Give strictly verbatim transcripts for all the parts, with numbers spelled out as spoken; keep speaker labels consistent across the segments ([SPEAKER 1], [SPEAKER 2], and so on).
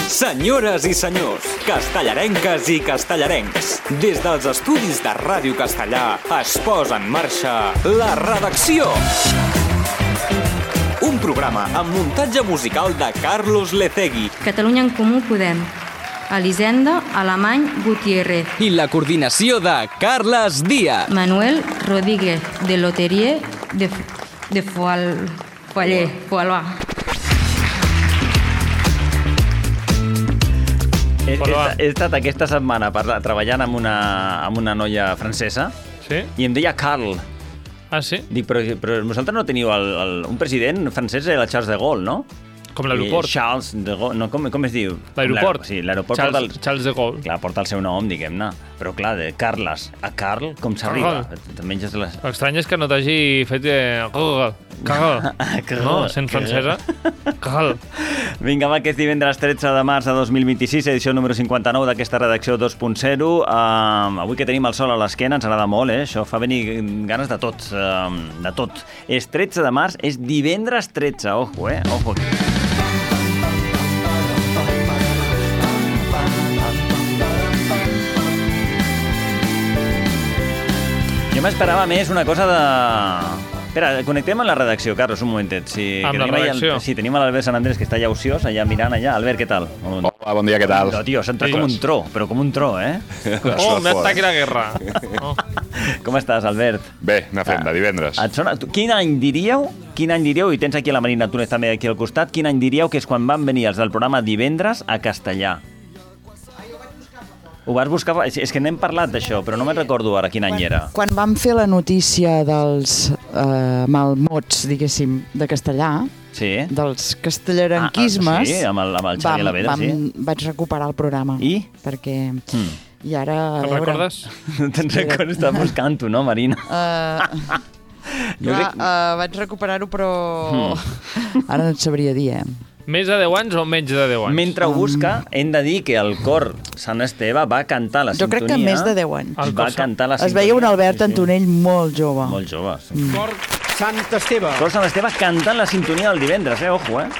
[SPEAKER 1] Senyores i senyors, castellarenques i castellarencs, des dels estudis de Ràdio Castellà es posa en marxa La Redacció. Un programa amb muntatge musical de Carlos Lecegui.
[SPEAKER 2] Catalunya en Comú Podem. Elisenda Alemany Gutiérrez.
[SPEAKER 1] I la coordinació de Carles Díaz.
[SPEAKER 2] Manuel Rodríguez, de Loterie de, de Foal, Foaller, Foalà.
[SPEAKER 3] He, he, he estat aquesta setmana parla, treballant amb una, amb una noia francesa.
[SPEAKER 4] Sí?
[SPEAKER 3] I em deia Carl.
[SPEAKER 4] Ah, sí?
[SPEAKER 3] Dic, però, però vosaltres no teniu el, el, un president francès, era el Charles de Gaulle, no?
[SPEAKER 4] Com l'aeroport.
[SPEAKER 3] I Charles de Gaulle, no, com, com es diu?
[SPEAKER 4] L'aeroport.
[SPEAKER 3] Sí, l'aeroport
[SPEAKER 4] Charles,
[SPEAKER 3] porta el...
[SPEAKER 4] Charles de Gaulle.
[SPEAKER 3] Clar, porta el seu nom, diguem-ne. Però clar, de Carles a Carl, com s'arriba? Te menges les...
[SPEAKER 4] L'estrany és que no t'hagi fet... Eh... Carl. No, sent francesa. Carl.
[SPEAKER 3] Vinga, va, que és divendres tretze de març de dos mil vint-i-sis, edició número cinquanta-nou d'aquesta redacció dos punt zero. Uh, avui que tenim el sol a l'esquena, ens agrada molt, eh? Això fa venir ganes de tot, uh, de tot. És tretze de març, és divendres tretze, ojo, eh? Ojo aquí. Jo m'esperava més una cosa de... Espera, connectem amb la redacció, Carlos, un momentet. Si,
[SPEAKER 4] amb la redacció?
[SPEAKER 3] El... Sí, tenim l'Albert Sant Andrés, que està allà ociós, allà mirant allà. Albert, què tal?
[SPEAKER 5] Hola, bon dia, què tal?
[SPEAKER 3] No, tio, s'ha entrat com un tro, però com un tro, eh?
[SPEAKER 4] Oh, me ataque la guerra. Oh.
[SPEAKER 3] Com estàs, Albert?
[SPEAKER 5] Bé, anar fent, de divendres.
[SPEAKER 3] Et sona... Quin any diríeu, quin any diríeu, i tens aquí la Marina Túnez també aquí al costat, quin any diríeu que és quan van venir els del programa Divendres a Castellà? Ho vas buscar... És que n'hem parlat d'això, però no me'n recordo ara quin any era.
[SPEAKER 6] Quan vam fer la notícia dels eh, malmots, diguéssim, de castellà,
[SPEAKER 3] sí.
[SPEAKER 6] dels castellarenquismes...
[SPEAKER 3] Ah, ah, sí, amb el, amb el Xavi Alaveda, sí.
[SPEAKER 6] Vaig recuperar el programa.
[SPEAKER 3] I?
[SPEAKER 6] Perquè...
[SPEAKER 3] Mm.
[SPEAKER 6] I ara...
[SPEAKER 4] Te'n recordes?
[SPEAKER 3] Te'n recordes? Estàs buscant-ho, no, Marina?
[SPEAKER 6] Uh,
[SPEAKER 3] jo
[SPEAKER 6] clar,
[SPEAKER 3] crec...
[SPEAKER 6] uh, vaig recuperar-ho, però...
[SPEAKER 3] Mm.
[SPEAKER 6] Ara no et sabria dir, eh?
[SPEAKER 4] Més de deu anys o menys de deu anys?
[SPEAKER 3] Mentre ho busca, hem de dir que el cor Sant Esteve va cantar la
[SPEAKER 6] jo
[SPEAKER 3] sintonia...
[SPEAKER 6] Jo crec que més de deu anys.
[SPEAKER 3] Va cantar la sintonia.
[SPEAKER 6] Es veia un Albert Antonell sí, sí. molt jove.
[SPEAKER 3] Molt jove, sí.
[SPEAKER 7] Mm. Cor Sant Esteve.
[SPEAKER 3] Cor Sant Esteve cantant la sintonia del divendres, eh? Ojo, eh?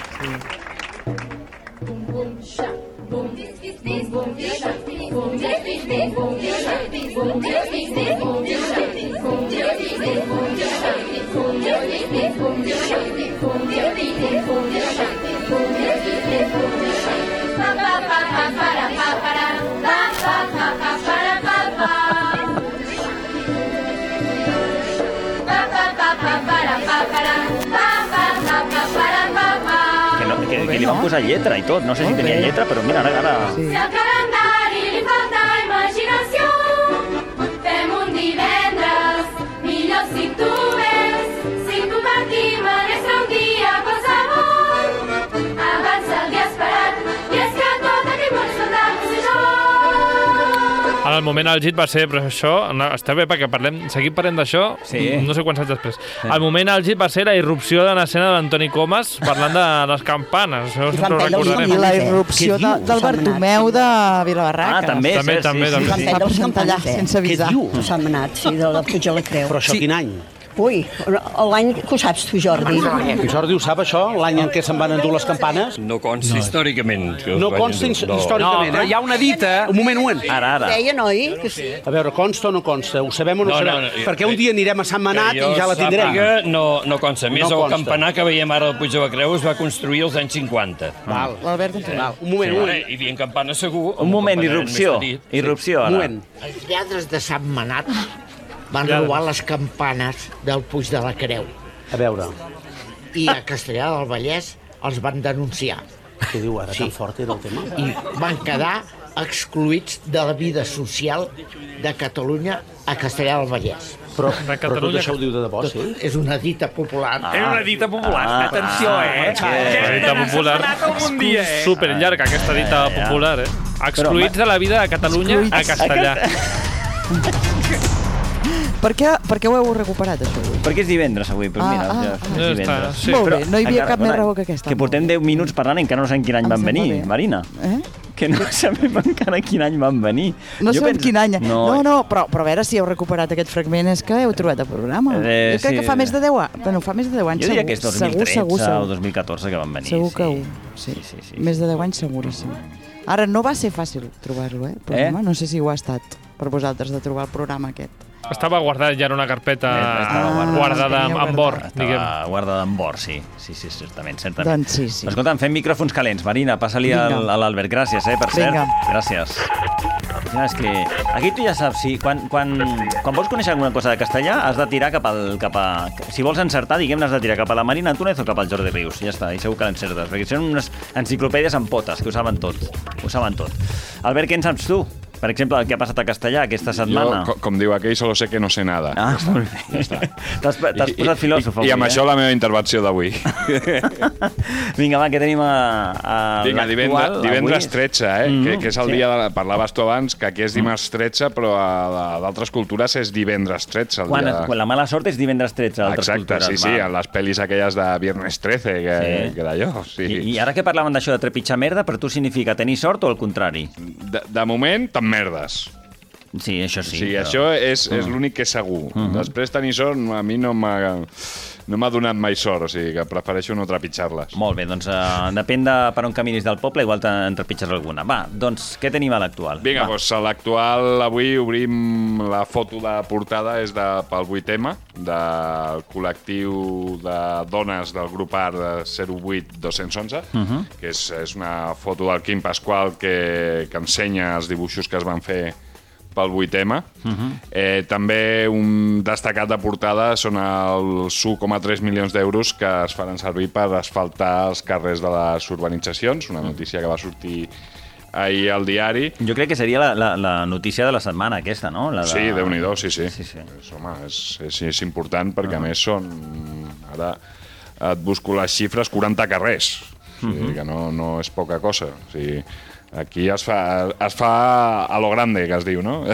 [SPEAKER 3] Que, no, que, que li van posar lletra i tot, no sé si tenia lletra, però mira, ara... ara...
[SPEAKER 6] Sí.
[SPEAKER 8] Si al calendari li falta imaginació, fem un divendres, millor si tu ves, si compartim en extra un dia qualsevol, abans el dia esperat, i és que tot aquell món és fantasma, sé jo.
[SPEAKER 4] En el moment el Git va ser, però això, no, està bé perquè parlem, seguim parlant d'això,
[SPEAKER 3] sí.
[SPEAKER 4] no sé quants anys després. Sí. El moment el Git va ser la irrupció de l'escena de l'Antoni Comas parlant de les campanes, això sempre ho recordarem.
[SPEAKER 6] I la irrupció de, del Bartomeu de Vilabarraca.
[SPEAKER 3] Ah, també,
[SPEAKER 4] també,
[SPEAKER 3] sí,
[SPEAKER 4] també,
[SPEAKER 3] sí,
[SPEAKER 4] també.
[SPEAKER 6] Sí, sí. Va presentar allà sense avisar.
[SPEAKER 7] Què diu?
[SPEAKER 9] S'ha manat, sí, de la Puig a la Creu.
[SPEAKER 7] Però això
[SPEAKER 9] sí.
[SPEAKER 7] quin any?
[SPEAKER 9] Ui, l'any que ho saps tu, Jordi.
[SPEAKER 7] En Jordi ho sap, això? L'any en què se'n van endur les campanes?
[SPEAKER 10] No consta no. històricament.
[SPEAKER 7] No consta no. històricament,
[SPEAKER 10] no, però
[SPEAKER 7] eh?
[SPEAKER 10] hi ha una dita...
[SPEAKER 7] Un moment, un moment.
[SPEAKER 3] Ara, ara.
[SPEAKER 9] Deia, noi, que sí.
[SPEAKER 7] A veure, consta o no consta? Ho sabem o no,
[SPEAKER 10] no
[SPEAKER 7] sabem?
[SPEAKER 10] No, no,
[SPEAKER 7] Perquè un dia anirem a Sant Manat i ja la tindrem.
[SPEAKER 10] No, no consta. Més,
[SPEAKER 7] no
[SPEAKER 10] el campanar que veiem ara al Puig de la Creu es va construir als anys cinquanta.
[SPEAKER 7] Val.
[SPEAKER 6] L'Albert Antonell.
[SPEAKER 7] Un moment,
[SPEAKER 10] sí,
[SPEAKER 7] un moment.
[SPEAKER 10] Hi havia campana segur.
[SPEAKER 3] Un moment, irrupció. Irrupció, ara.
[SPEAKER 7] Un moment.
[SPEAKER 11] Els lladres de Sant Manat van robar les campanes del Puig de la Creu.
[SPEAKER 7] A veure.
[SPEAKER 11] I a Castellà del Vallès els van denunciar.
[SPEAKER 7] Què diu ara? Sí. Tan fort era el tema?
[SPEAKER 11] I van quedar excluïts de la vida social de Catalunya a Castellà del Vallès.
[SPEAKER 7] Però, però tot això ho diu de debò, sí?
[SPEAKER 11] És una dita popular.
[SPEAKER 3] Ah.
[SPEAKER 1] És una dita popular.
[SPEAKER 3] Ah.
[SPEAKER 1] Atenció, eh?
[SPEAKER 3] Ah.
[SPEAKER 4] Una dita popular.
[SPEAKER 1] Un dia, eh?
[SPEAKER 4] Superllarga, aquesta dita
[SPEAKER 3] Ah, ja.
[SPEAKER 4] popular, eh? Excluïts de la vida de Catalunya a Castellà.
[SPEAKER 6] Per què, per què ho heu recuperat, això, avui?
[SPEAKER 3] Perquè és divendres, avui. Però mira,
[SPEAKER 6] Ah,
[SPEAKER 3] ja,
[SPEAKER 6] ah,
[SPEAKER 3] és
[SPEAKER 4] ah.
[SPEAKER 3] divendres.
[SPEAKER 4] Sí.
[SPEAKER 6] Molt bé, no hi havia
[SPEAKER 3] encara-
[SPEAKER 6] cap més
[SPEAKER 3] bueno,
[SPEAKER 6] raó que aquesta.
[SPEAKER 3] Que portem deu minuts parlant i encara no sabem quin any
[SPEAKER 6] Em
[SPEAKER 3] van
[SPEAKER 6] sembla
[SPEAKER 3] venir,
[SPEAKER 6] bé.
[SPEAKER 3] Marina.
[SPEAKER 6] Eh?
[SPEAKER 3] que no sabem encara quin any van venir.
[SPEAKER 6] No
[SPEAKER 3] Jo
[SPEAKER 6] sabem
[SPEAKER 3] penso-
[SPEAKER 6] quin any. No,
[SPEAKER 3] No,
[SPEAKER 6] no, però, però a veure si heu recuperat aquest fragment, és que heu trobat el programa.
[SPEAKER 3] Eh,
[SPEAKER 6] jo crec
[SPEAKER 3] sí.
[SPEAKER 6] que fa més de deu anys. Bueno, fa més de deu anys,
[SPEAKER 3] jo diria
[SPEAKER 6] segur.
[SPEAKER 3] que és dos mil
[SPEAKER 6] Segur,
[SPEAKER 3] tretze
[SPEAKER 6] segur, segur.
[SPEAKER 3] o dos mil catorze que van venir.
[SPEAKER 6] Segur
[SPEAKER 3] sí.
[SPEAKER 6] que ho... Sí.
[SPEAKER 3] Sí, sí, sí.
[SPEAKER 6] Més de deu anys seguríssim. Ara, no va ser fàcil trobar-lo, eh? el programa.
[SPEAKER 3] Eh?
[SPEAKER 6] No sé si ho ha estat per vosaltres de trobar el programa aquest.
[SPEAKER 4] Estava guardat ja en una carpeta
[SPEAKER 3] Estava guardat.
[SPEAKER 4] guardada
[SPEAKER 6] Ah,
[SPEAKER 4] amb, amb
[SPEAKER 6] guardat.
[SPEAKER 4] or, diguem.
[SPEAKER 3] Estava guardada en bord, sí. Sí, sí, certament, certament.
[SPEAKER 6] Doncs sí, sí.
[SPEAKER 3] Escolta'm, fem micròfons calents. Marina, passa-li al-
[SPEAKER 6] Vinga.
[SPEAKER 3] a l'Albert. Gràcies, eh, per cert.
[SPEAKER 6] Vinga.
[SPEAKER 3] Gràcies. Ja, és que aquí tu ja saps, si, quan, quan, quan vols conèixer alguna cosa de castellà, has de tirar cap al... Cap a, si vols encertar, diguem, has de tirar cap a la Marina Antúnez o cap al Jordi Rius. Ja està, i segur que l'encertes, perquè són unes enciclopèdies amb potes, que ho saben tot. Ho saben tot. Albert, què en saps tu? Per exemple, el que ha passat a castellà aquesta setmana.
[SPEAKER 5] Jo, co- com diu aquell, solo sé que no sé nada.
[SPEAKER 3] Ah, molt bé. T'has t'has posat filòsof
[SPEAKER 5] I,
[SPEAKER 3] avui,
[SPEAKER 5] I amb
[SPEAKER 3] eh?
[SPEAKER 5] això la meva intervenció d'avui.
[SPEAKER 3] Vinga, va, que tenim a, a
[SPEAKER 5] Vinga, divendres,
[SPEAKER 3] l'actual,
[SPEAKER 5] divendres
[SPEAKER 3] avui.
[SPEAKER 5] tretze, eh?
[SPEAKER 3] Mhm,
[SPEAKER 5] que, que és el
[SPEAKER 3] sí.
[SPEAKER 5] dia de la... Parlaves tu abans que aquí és dimarts tretze, però a d'altres cultures és divendres tretze. El
[SPEAKER 3] Quan,
[SPEAKER 5] dia...
[SPEAKER 3] quan la mala sort és divendres tretze, a altres
[SPEAKER 5] Exacte,
[SPEAKER 3] cultures.
[SPEAKER 5] sí, sí,
[SPEAKER 3] va.
[SPEAKER 5] en les pel·lis aquelles de Viernes trece, que,
[SPEAKER 3] Sí.
[SPEAKER 5] que d'allò, sí.
[SPEAKER 3] I, I ara que parlaven d'això de trepitjar merda, per tu significa tenir sort o el contrari?
[SPEAKER 5] De, de moment, tan merdes.
[SPEAKER 3] Sí, això sí.
[SPEAKER 5] Sí,
[SPEAKER 3] però-
[SPEAKER 5] això és, és
[SPEAKER 3] Mm.
[SPEAKER 5] l'únic que és segur.
[SPEAKER 3] Mhm.
[SPEAKER 5] Després tenir sort a mi no m'ha no m'ha donat mai sort, o sigui que prefereixo no trepitjar-les.
[SPEAKER 3] Molt bé, doncs uh, depèn de per on caminis del poble, igual te'n trepitges alguna. Va, doncs què tenim a l'actual?
[SPEAKER 5] Vinga,
[SPEAKER 3] Va.
[SPEAKER 5] doncs a l'actual avui obrim la foto de portada, és de, pel vuit ema, del col·lectiu de dones del grup Art de zero vuit dos onze,
[SPEAKER 3] Mhm.
[SPEAKER 5] que és, és una foto del Quim Pasqual que, que ensenya els dibuixos que es van fer pel vuit ema.
[SPEAKER 3] Mhm.
[SPEAKER 5] Eh, també un destacat de portada són els un coma tres milions d'euros que es faran servir per asfaltar els carrers de les urbanitzacions, una notícia que va sortir ahir al diari.
[SPEAKER 3] Jo crec que seria la, la, la notícia de la setmana aquesta, no? La de...
[SPEAKER 5] Sí, Déu-n'hi-do, sí, sí.
[SPEAKER 3] Sí, sí.
[SPEAKER 5] És, home, és, és, és important perquè, a més, són... Ara et busco les xifres, quaranta carrers. O sigui,
[SPEAKER 3] Mhm.
[SPEAKER 5] que no, no és poca cosa. O sigui, aquí es fa, es fa a lo grande, que es diu, no?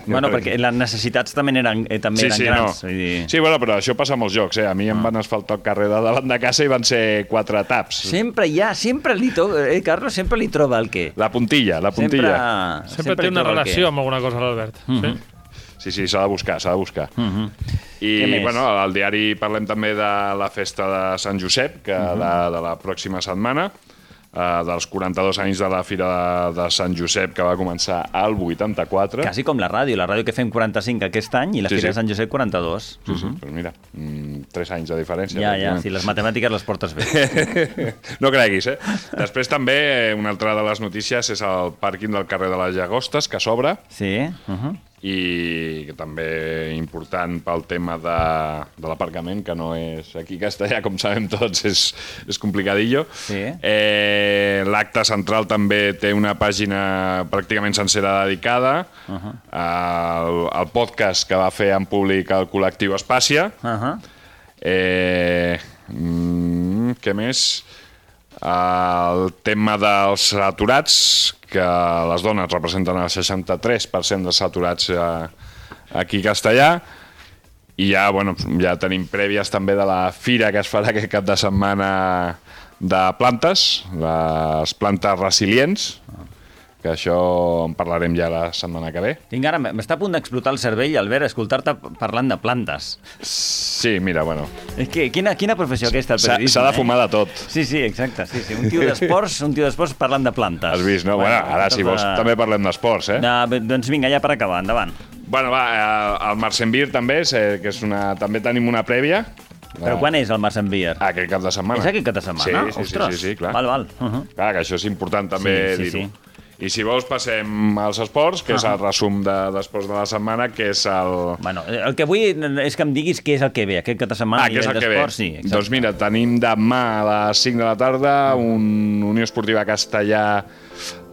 [SPEAKER 3] Bueno, perquè les necessitats també eren, eh, també
[SPEAKER 5] Sí,
[SPEAKER 3] eren
[SPEAKER 5] sí,
[SPEAKER 3] grans.
[SPEAKER 5] no.
[SPEAKER 3] Vull dir...
[SPEAKER 5] Sí, bueno, però això passa a molts jocs, eh? A mi em van asfaltar el carrer de davant de casa i van ser quatre taps.
[SPEAKER 3] Sempre hi ha, sempre li toca, eh, Carlos, sempre li troba el què.
[SPEAKER 5] La puntilla, la puntilla.
[SPEAKER 3] Sempre,
[SPEAKER 4] Sempre, té
[SPEAKER 3] li
[SPEAKER 4] una
[SPEAKER 3] troba el què.
[SPEAKER 4] relació amb alguna cosa, l'Albert.
[SPEAKER 3] Mhm.
[SPEAKER 4] Sí?
[SPEAKER 5] Sí, sí, s'ha de buscar, s'ha de buscar.
[SPEAKER 3] Mhm.
[SPEAKER 5] I,
[SPEAKER 3] Què més?
[SPEAKER 5] bueno, al diari parlem també de la festa de Sant Josep, que
[SPEAKER 3] Mhm.
[SPEAKER 5] de, de la pròxima setmana, eh, dels quaranta-dos anys de la Fira de, de Sant Josep, que va començar al vuitanta-quatre.
[SPEAKER 3] Quasi com la ràdio, la ràdio que fem quaranta-cinc aquest any i la
[SPEAKER 5] Sí,
[SPEAKER 3] Fira
[SPEAKER 5] sí.
[SPEAKER 3] de Sant Josep quaranta-dos.
[SPEAKER 5] Sí, sí, doncs mira, mm, tres anys de diferència.
[SPEAKER 3] Ja, ja,
[SPEAKER 5] pràcticament.
[SPEAKER 3] si les matemàtiques les portes bé.
[SPEAKER 5] No creguis, eh? Després també, eh, una altra de les notícies és el pàrquing del carrer de les Llagostes, que s'obre,
[SPEAKER 3] Sí. Uh -huh.
[SPEAKER 5] i que també important pel tema de, de l'aparcament, que no és aquí a Castellà, com sabem tots, és, és complicadillo.
[SPEAKER 3] Sí.
[SPEAKER 5] Eh, L'acte central també té una pàgina pràcticament sencera dedicada
[SPEAKER 3] Uh -huh.
[SPEAKER 5] al, al podcast que va fer en públic el col·lectiu Espàcia.
[SPEAKER 3] Uh -huh.
[SPEAKER 5] Eh, mm, què més? El tema dels aturats, que les dones representen el seixanta-tres per cent dels aturats eh, aquí a Castellà, i ja, bueno, ja tenim prèvies també de la fira que es farà aquest cap de setmana de plantes, les plantes resilients, que això en parlarem ja la setmana que ve.
[SPEAKER 3] Tinc ara, m'està a punt d'explotar el cervell, Albert, escoltar-te parlant de plantes.
[SPEAKER 5] Sí, mira, bueno,
[SPEAKER 3] És que quina, quina professió aquesta, el
[SPEAKER 5] s'ha
[SPEAKER 3] periodisme,
[SPEAKER 5] s'ha de
[SPEAKER 3] eh?
[SPEAKER 5] fumar de tot.
[SPEAKER 3] Sí, sí, exacte. Sí, sí. Un tio d'esports, un tio d'esports parlant de plantes.
[SPEAKER 5] Has vist, no? Bueno, ara, si vols, també parlem d'esports, eh?
[SPEAKER 3] No, doncs vinga, ja per acabar, endavant.
[SPEAKER 5] Bueno, va, eh, el Marcenvir també, és, eh, que és una... també tenim una prèvia.
[SPEAKER 3] Però quan és el Marcenvir?
[SPEAKER 5] Aquest cap de setmana.
[SPEAKER 3] És aquest cap de setmana?
[SPEAKER 5] Sí, sí, sí,
[SPEAKER 3] Ostres.
[SPEAKER 5] sí, sí, clar.
[SPEAKER 3] Val, val. Uh -huh.
[SPEAKER 5] Clar, que això és important també
[SPEAKER 3] Sí, sí,
[SPEAKER 5] dir-ho.
[SPEAKER 3] sí.
[SPEAKER 5] I si vols passem als esports, que és
[SPEAKER 3] Ah.
[SPEAKER 5] el resum de- d'esports de la setmana, que és el...
[SPEAKER 3] Bueno, el que vull és que em diguis què és el que ve, aquest cap de setmana
[SPEAKER 5] Ah,
[SPEAKER 3] a
[SPEAKER 5] que és el
[SPEAKER 3] nivell
[SPEAKER 5] que ve.
[SPEAKER 3] d'esports, sí, exacte.
[SPEAKER 5] Doncs mira, tenim demà a les cinc de la tarda un Unió Esportiva Castellà,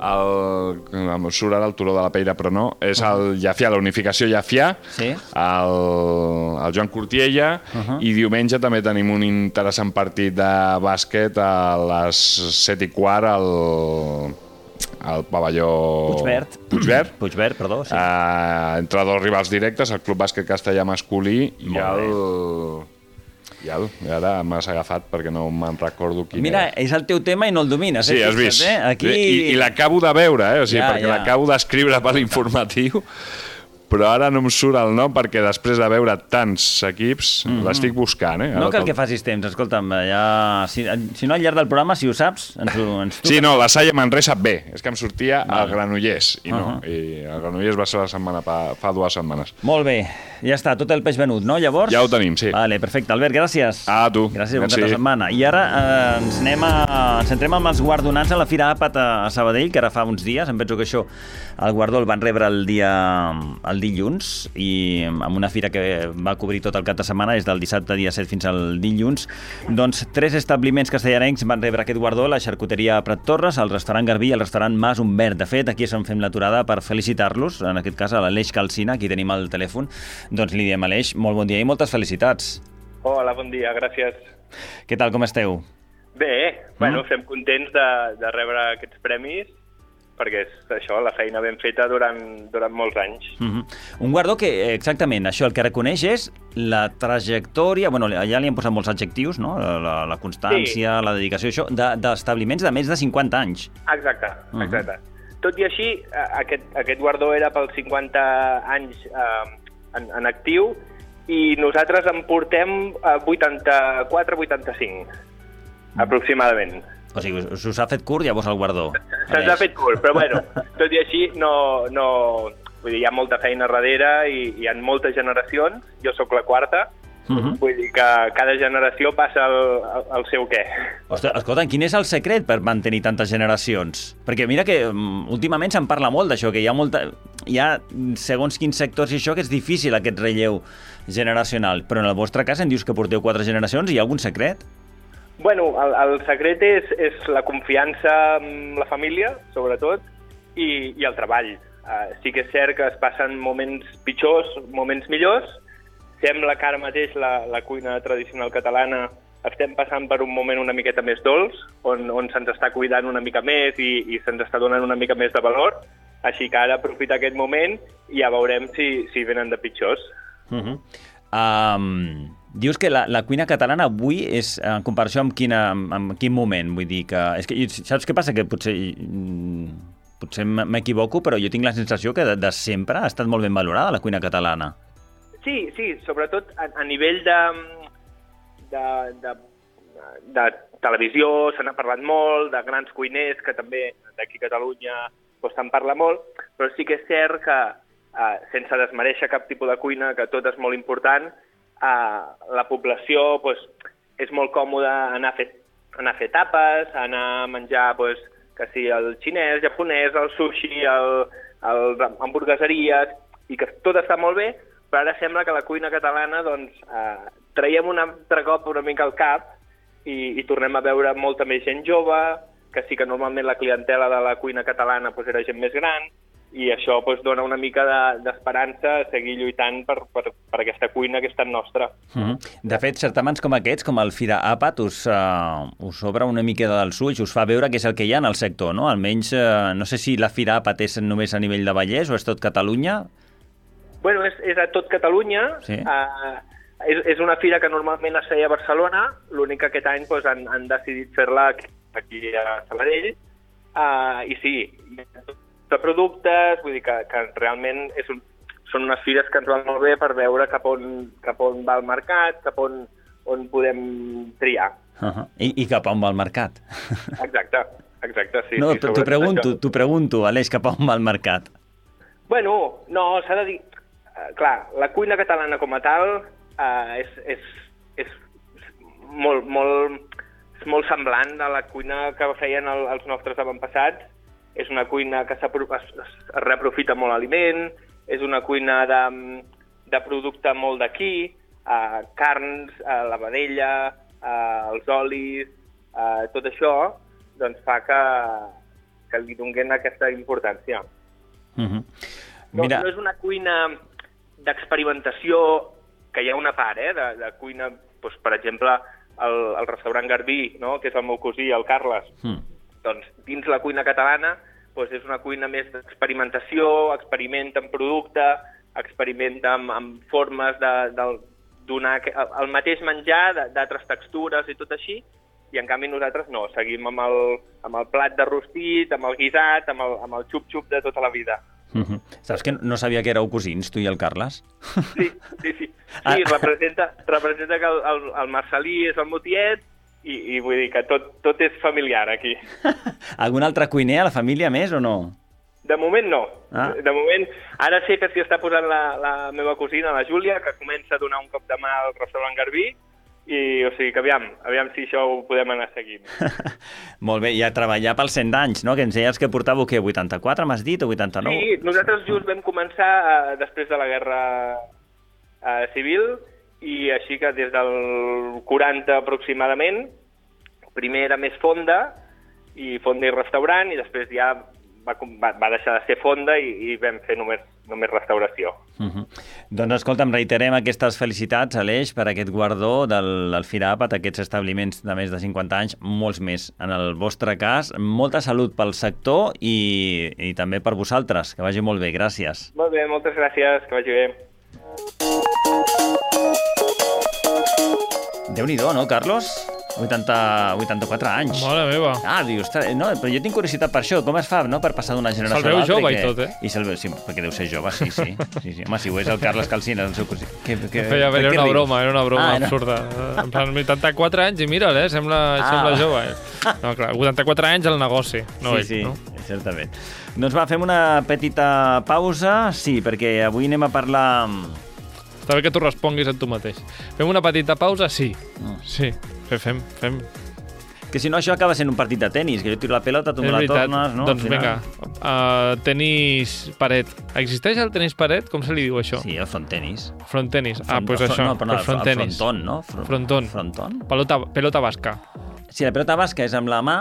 [SPEAKER 5] el, em surt ara el Turó de la Peira, però no, és el Llafià, la unificació Llafià,
[SPEAKER 3] Sí.
[SPEAKER 5] el, el Joan Cortiella,
[SPEAKER 3] Uh-huh.
[SPEAKER 5] i diumenge també tenim un interessant partit de bàsquet a les set i quart al, al pavelló...
[SPEAKER 3] Puigverd.
[SPEAKER 5] Puigverd.
[SPEAKER 3] Puigverd, perdó, sí.
[SPEAKER 5] Uh, entre dos rivals directes, el Club Bàsquet Castellà masculí i
[SPEAKER 3] Molt
[SPEAKER 5] el, bestial. I ara m'has agafat perquè no me'n recordo quin
[SPEAKER 3] Mira,
[SPEAKER 5] era.
[SPEAKER 3] és el teu tema i no el domines.
[SPEAKER 5] Sí,
[SPEAKER 3] eh?
[SPEAKER 5] has vist.
[SPEAKER 3] Eh? Aquí...
[SPEAKER 5] I, i l'acabo de veure, eh? O sigui,
[SPEAKER 3] Ja,
[SPEAKER 5] perquè
[SPEAKER 3] ja.
[SPEAKER 5] l'acabo d'escriure per l'informatiu, però ara no em surt el nom perquè després de veure tants equips
[SPEAKER 3] Mhm.
[SPEAKER 5] l'estic buscant. Eh?
[SPEAKER 3] No
[SPEAKER 5] Ara
[SPEAKER 3] cal
[SPEAKER 5] te'l-
[SPEAKER 3] que facis temps, escolta'm, ja... si, si no al llarg del programa, si ho saps, ens ho ens
[SPEAKER 5] Sí, no, la Salle Manresa bé. És que em sortia
[SPEAKER 3] Vale.
[SPEAKER 5] el Granollers, i no.
[SPEAKER 3] Uh-huh.
[SPEAKER 5] I el Granollers va ser la setmana pa, fa dues setmanes.
[SPEAKER 3] Molt bé, ja està, tot el peix venut, no, llavors?
[SPEAKER 5] Ja ho tenim, sí.
[SPEAKER 3] Vale, perfecte. Albert, gràcies.
[SPEAKER 5] A tu.
[SPEAKER 3] Gràcies, bon
[SPEAKER 5] Merci.
[SPEAKER 3] cap de setmana. I ara eh, ens anem a... ens centrem amb els guardonats a la Fira Àpat a, a Sabadell, que ara fa uns dies. Em penso que això, el guardó el van rebre el dia el dilluns, i amb una fira que va cobrir tot el cap de setmana, des del dissabte dia set fins al dilluns. Doncs tres establiments castellarencs van rebre aquest guardó: la xarcuteria Prat Torres, el restaurant Garbí i el restaurant Mas Humbert. De fet, aquí és on fem l'aturada per felicitar-los, en aquest cas a l'Aleix Calcina, aquí tenim el telèfon. Doncs li diem, Aleix, molt bon dia i moltes felicitats.
[SPEAKER 12] Hola, bon dia, gràcies.
[SPEAKER 3] Què tal, com esteu?
[SPEAKER 12] Bé, bueno, estem contents de, de rebre aquests premis, perquè és això, la feina ben feta durant, durant molts anys.
[SPEAKER 3] Uh-huh. Un guardó que, eh, exactament, això el que reconeix és la trajectòria, bueno, allà li han posat molts adjectius, no? La, la, la constància, sí. La dedicació, això, d'establiments de, de més de cinquanta anys.
[SPEAKER 12] Exacte, exacte. Uh-huh. Tot i així, aquest, aquest guardó era pels cinquanta anys eh, en, en actiu, i nosaltres en portem vuitanta-quatre vuitanta-cinc, aproximadament.
[SPEAKER 3] O sigui, us, us ha fet curt llavors el guardó.
[SPEAKER 12] Se'ns ha fet curt, però bueno, tot i així no, no... Vull dir, hi ha molta feina darrere i hi ha moltes generacions. Jo sóc la quarta, uh-huh. Vull dir que cada generació passa el, el, el seu què.
[SPEAKER 3] Ostres, escolta, quin és el secret per mantenir tantes generacions? Perquè mira que um, últimament se'n parla molt d'això, que hi ha molta... Hi ha, segons quins sectors i això, que és difícil aquest relleu generacional. Però en el vostre cas em dius que porteu quatre generacions, hi ha algun secret?
[SPEAKER 12] Bueno, el, el secret és, és la confiança en la família, sobretot, i, i el treball. Uh, sí que és cert que es passen moments pitjors, moments millors. Sembla que ara mateix la, la cuina tradicional catalana estem passant per un moment una miqueta més dolç, on, on se'ns està cuidant una mica més i, i se'ns està donant una mica més de valor. Així que ara aprofita aquest moment i ja veurem si, si venen de pitjors.
[SPEAKER 3] Uh-huh. Um, dius que la, la cuina catalana avui és, en comparació amb, quina, amb quin moment? Vull dir que... És que saps què passa? Que potser, potser m'equivoco, però jo tinc la sensació que de, de sempre ha estat molt ben valorada la cuina catalana.
[SPEAKER 12] Sí, sí, sobretot a, a nivell de, de, de, de televisió se n'ha parlat molt, de grans cuiners que també d'aquí a Catalunya doncs, se'n parla molt, però sí que és cert que Uh, sense desmereixer cap tipus de cuina, que tot és molt important, uh, la població pues, és molt còmoda anar a fer, anar a fer tapes, anar a menjar pues, que sí, el xinès, japonès, el sushi, el, el hamburgueseries, i que tot està molt bé, però ara sembla que la cuina catalana doncs, uh, traiem un altre cop una mica al cap i, i tornem a veure molta més gent jove, que sí que normalment la clientela de la cuina catalana pues, era gent més gran, i això doncs, dona una mica d'esperança de, a seguir lluitant per, per, per aquesta cuina que és tan nostra.
[SPEAKER 3] Uh-huh. De fet, certaments com aquests, com el Fira Àpat, us, uh, us obre una mica dels ulls, us fa veure què és el que hi ha en el sector, no? Almenys, uh, no sé si la Fira Àpat és només a nivell de Vallès o és tot Catalunya?
[SPEAKER 12] Bueno, és, és a tot Catalunya. Sí. Uh, és, és una fira que normalment es feia a Barcelona, l'únic que aquest any doncs, han, han decidit fer-la aquí a Sabadell, uh, i sí, hi ha tot de productes, vull dir que, que realment és un, són unes fires que ens van molt bé per veure cap on, cap on va el mercat, cap on, on podem triar.
[SPEAKER 3] Uh-huh. I, I cap on va el mercat.
[SPEAKER 12] Exacte, exacte, sí.
[SPEAKER 3] No,
[SPEAKER 12] sí,
[SPEAKER 3] t'ho pregunto, t'ho pregunto, Aleix, cap on va el mercat?
[SPEAKER 12] Bueno, no, s'ha de dir... Uh, clar, la cuina catalana com a tal uh, és, és, és molt, molt, és molt semblant a la cuina que feien el, els nostres avantpassats. És una cuina que es, es reaprofita molt aliment, és una cuina de, de producte molt d'aquí, eh, carns, eh, la vedella, eh, els olis, eh, tot això doncs fa que, que li donen aquesta importància.
[SPEAKER 3] Uh-huh.
[SPEAKER 12] Mira... no, no és una cuina d'experimentació, que hi ha una part, eh, de, de cuina, doncs, per exemple, el, el restaurant Garbí, no?, que és el meu cosí, el Carles, mm. doncs dins la cuina catalana doncs és una cuina més d'experimentació, experimenta amb producte, experimenta amb, amb formes de, de, donar el mateix menjar d'altres textures i tot així, i en canvi nosaltres no, seguim amb el, amb el plat de rostit, amb el guisat, amb el, amb el xup-xup de tota la vida.
[SPEAKER 3] Uh-huh. Saps que no sabia que éreu cosins, tu i el Carles?
[SPEAKER 12] Sí, sí, sí. Sí, representa, representa que el, el, el Marcelí és el meu tiet i, i vull dir que tot, tot és familiar aquí.
[SPEAKER 3] Algun altre cuiner a la família més o no?
[SPEAKER 12] De moment no.
[SPEAKER 3] Ah.
[SPEAKER 12] De moment, ara sé que s'hi està posant la, la meva cosina, la Júlia, que comença a donar un cop de mà al restaurant Garbí, i o sigui que aviam, aviam si això ho podem anar seguint.
[SPEAKER 3] Molt bé, i a treballar pels cent anys, no? Que ens deies que portàveu, què, vuitanta-quatre, m'has dit, o vuitanta-nou?
[SPEAKER 12] Sí, nosaltres just vam començar eh, després de la guerra eh, civil, i així que des del quaranta aproximadament, primer era més fonda, i fonda i restaurant, i després ja va, va, va deixar de ser fonda i, i vam fer només, només restauració.
[SPEAKER 3] Uh-huh. Doncs escolta'm, reiterem aquestes felicitats, Aleix, per aquest guardó del, del FIRAP a aquests establiments de més de cinquanta anys, molts més. En el vostre cas, molta salut pel sector i, i també per vosaltres. Que vagi molt bé, gràcies.
[SPEAKER 12] Molt bé, moltes gràcies, que vagi bé.
[SPEAKER 3] Déu-n'hi-do, no, Carlos? vuitanta, vuitanta-quatre anys.
[SPEAKER 4] Mare meva.
[SPEAKER 3] Ah, dius, no, però jo tinc curiositat per això. Com es fa, no?, per passar d'una generació a l'altra.
[SPEAKER 4] Se'l veu jove
[SPEAKER 3] que...
[SPEAKER 4] i tot, eh?
[SPEAKER 3] I se'l veu, sí, perquè deu ser jove, sí, sí. sí, sí. Home, si ho és el Carles Calsina, el seu cosí. Que, que,
[SPEAKER 4] Feia, era una broma, era una broma
[SPEAKER 3] ah,
[SPEAKER 4] absurda. En plan, vuitanta-quatre anys i mira'l, eh? Sembla, ah. sembla jove. Eh? No, clar, vuitanta-quatre anys al negoci, no
[SPEAKER 3] sí,
[SPEAKER 4] ell,
[SPEAKER 3] sí,
[SPEAKER 4] no?
[SPEAKER 3] certament. Doncs va, fem una petita pausa, sí, perquè avui anem a parlar...
[SPEAKER 4] Està bé que tu responguis a tu mateix. Fem una petita pausa? Sí. Mm. Sí, fem, fem.
[SPEAKER 3] Que si no això acaba sent un partit de tenis, que jo tiro la pelota, tu me la tornes, no?
[SPEAKER 4] Doncs vinga, uh, tenis paret. Existeix el tenis paret? Com se li diu això?
[SPEAKER 3] Sí, el front tenis.
[SPEAKER 4] Front tenis. Ah, doncs pues això,
[SPEAKER 3] no, però no,
[SPEAKER 4] front
[SPEAKER 3] el
[SPEAKER 4] tenis.
[SPEAKER 3] fronton, no? Front,
[SPEAKER 4] fronton.
[SPEAKER 3] Fronton.
[SPEAKER 4] Pelota, pelota basca.
[SPEAKER 3] Si la pelota basca és amb la mà,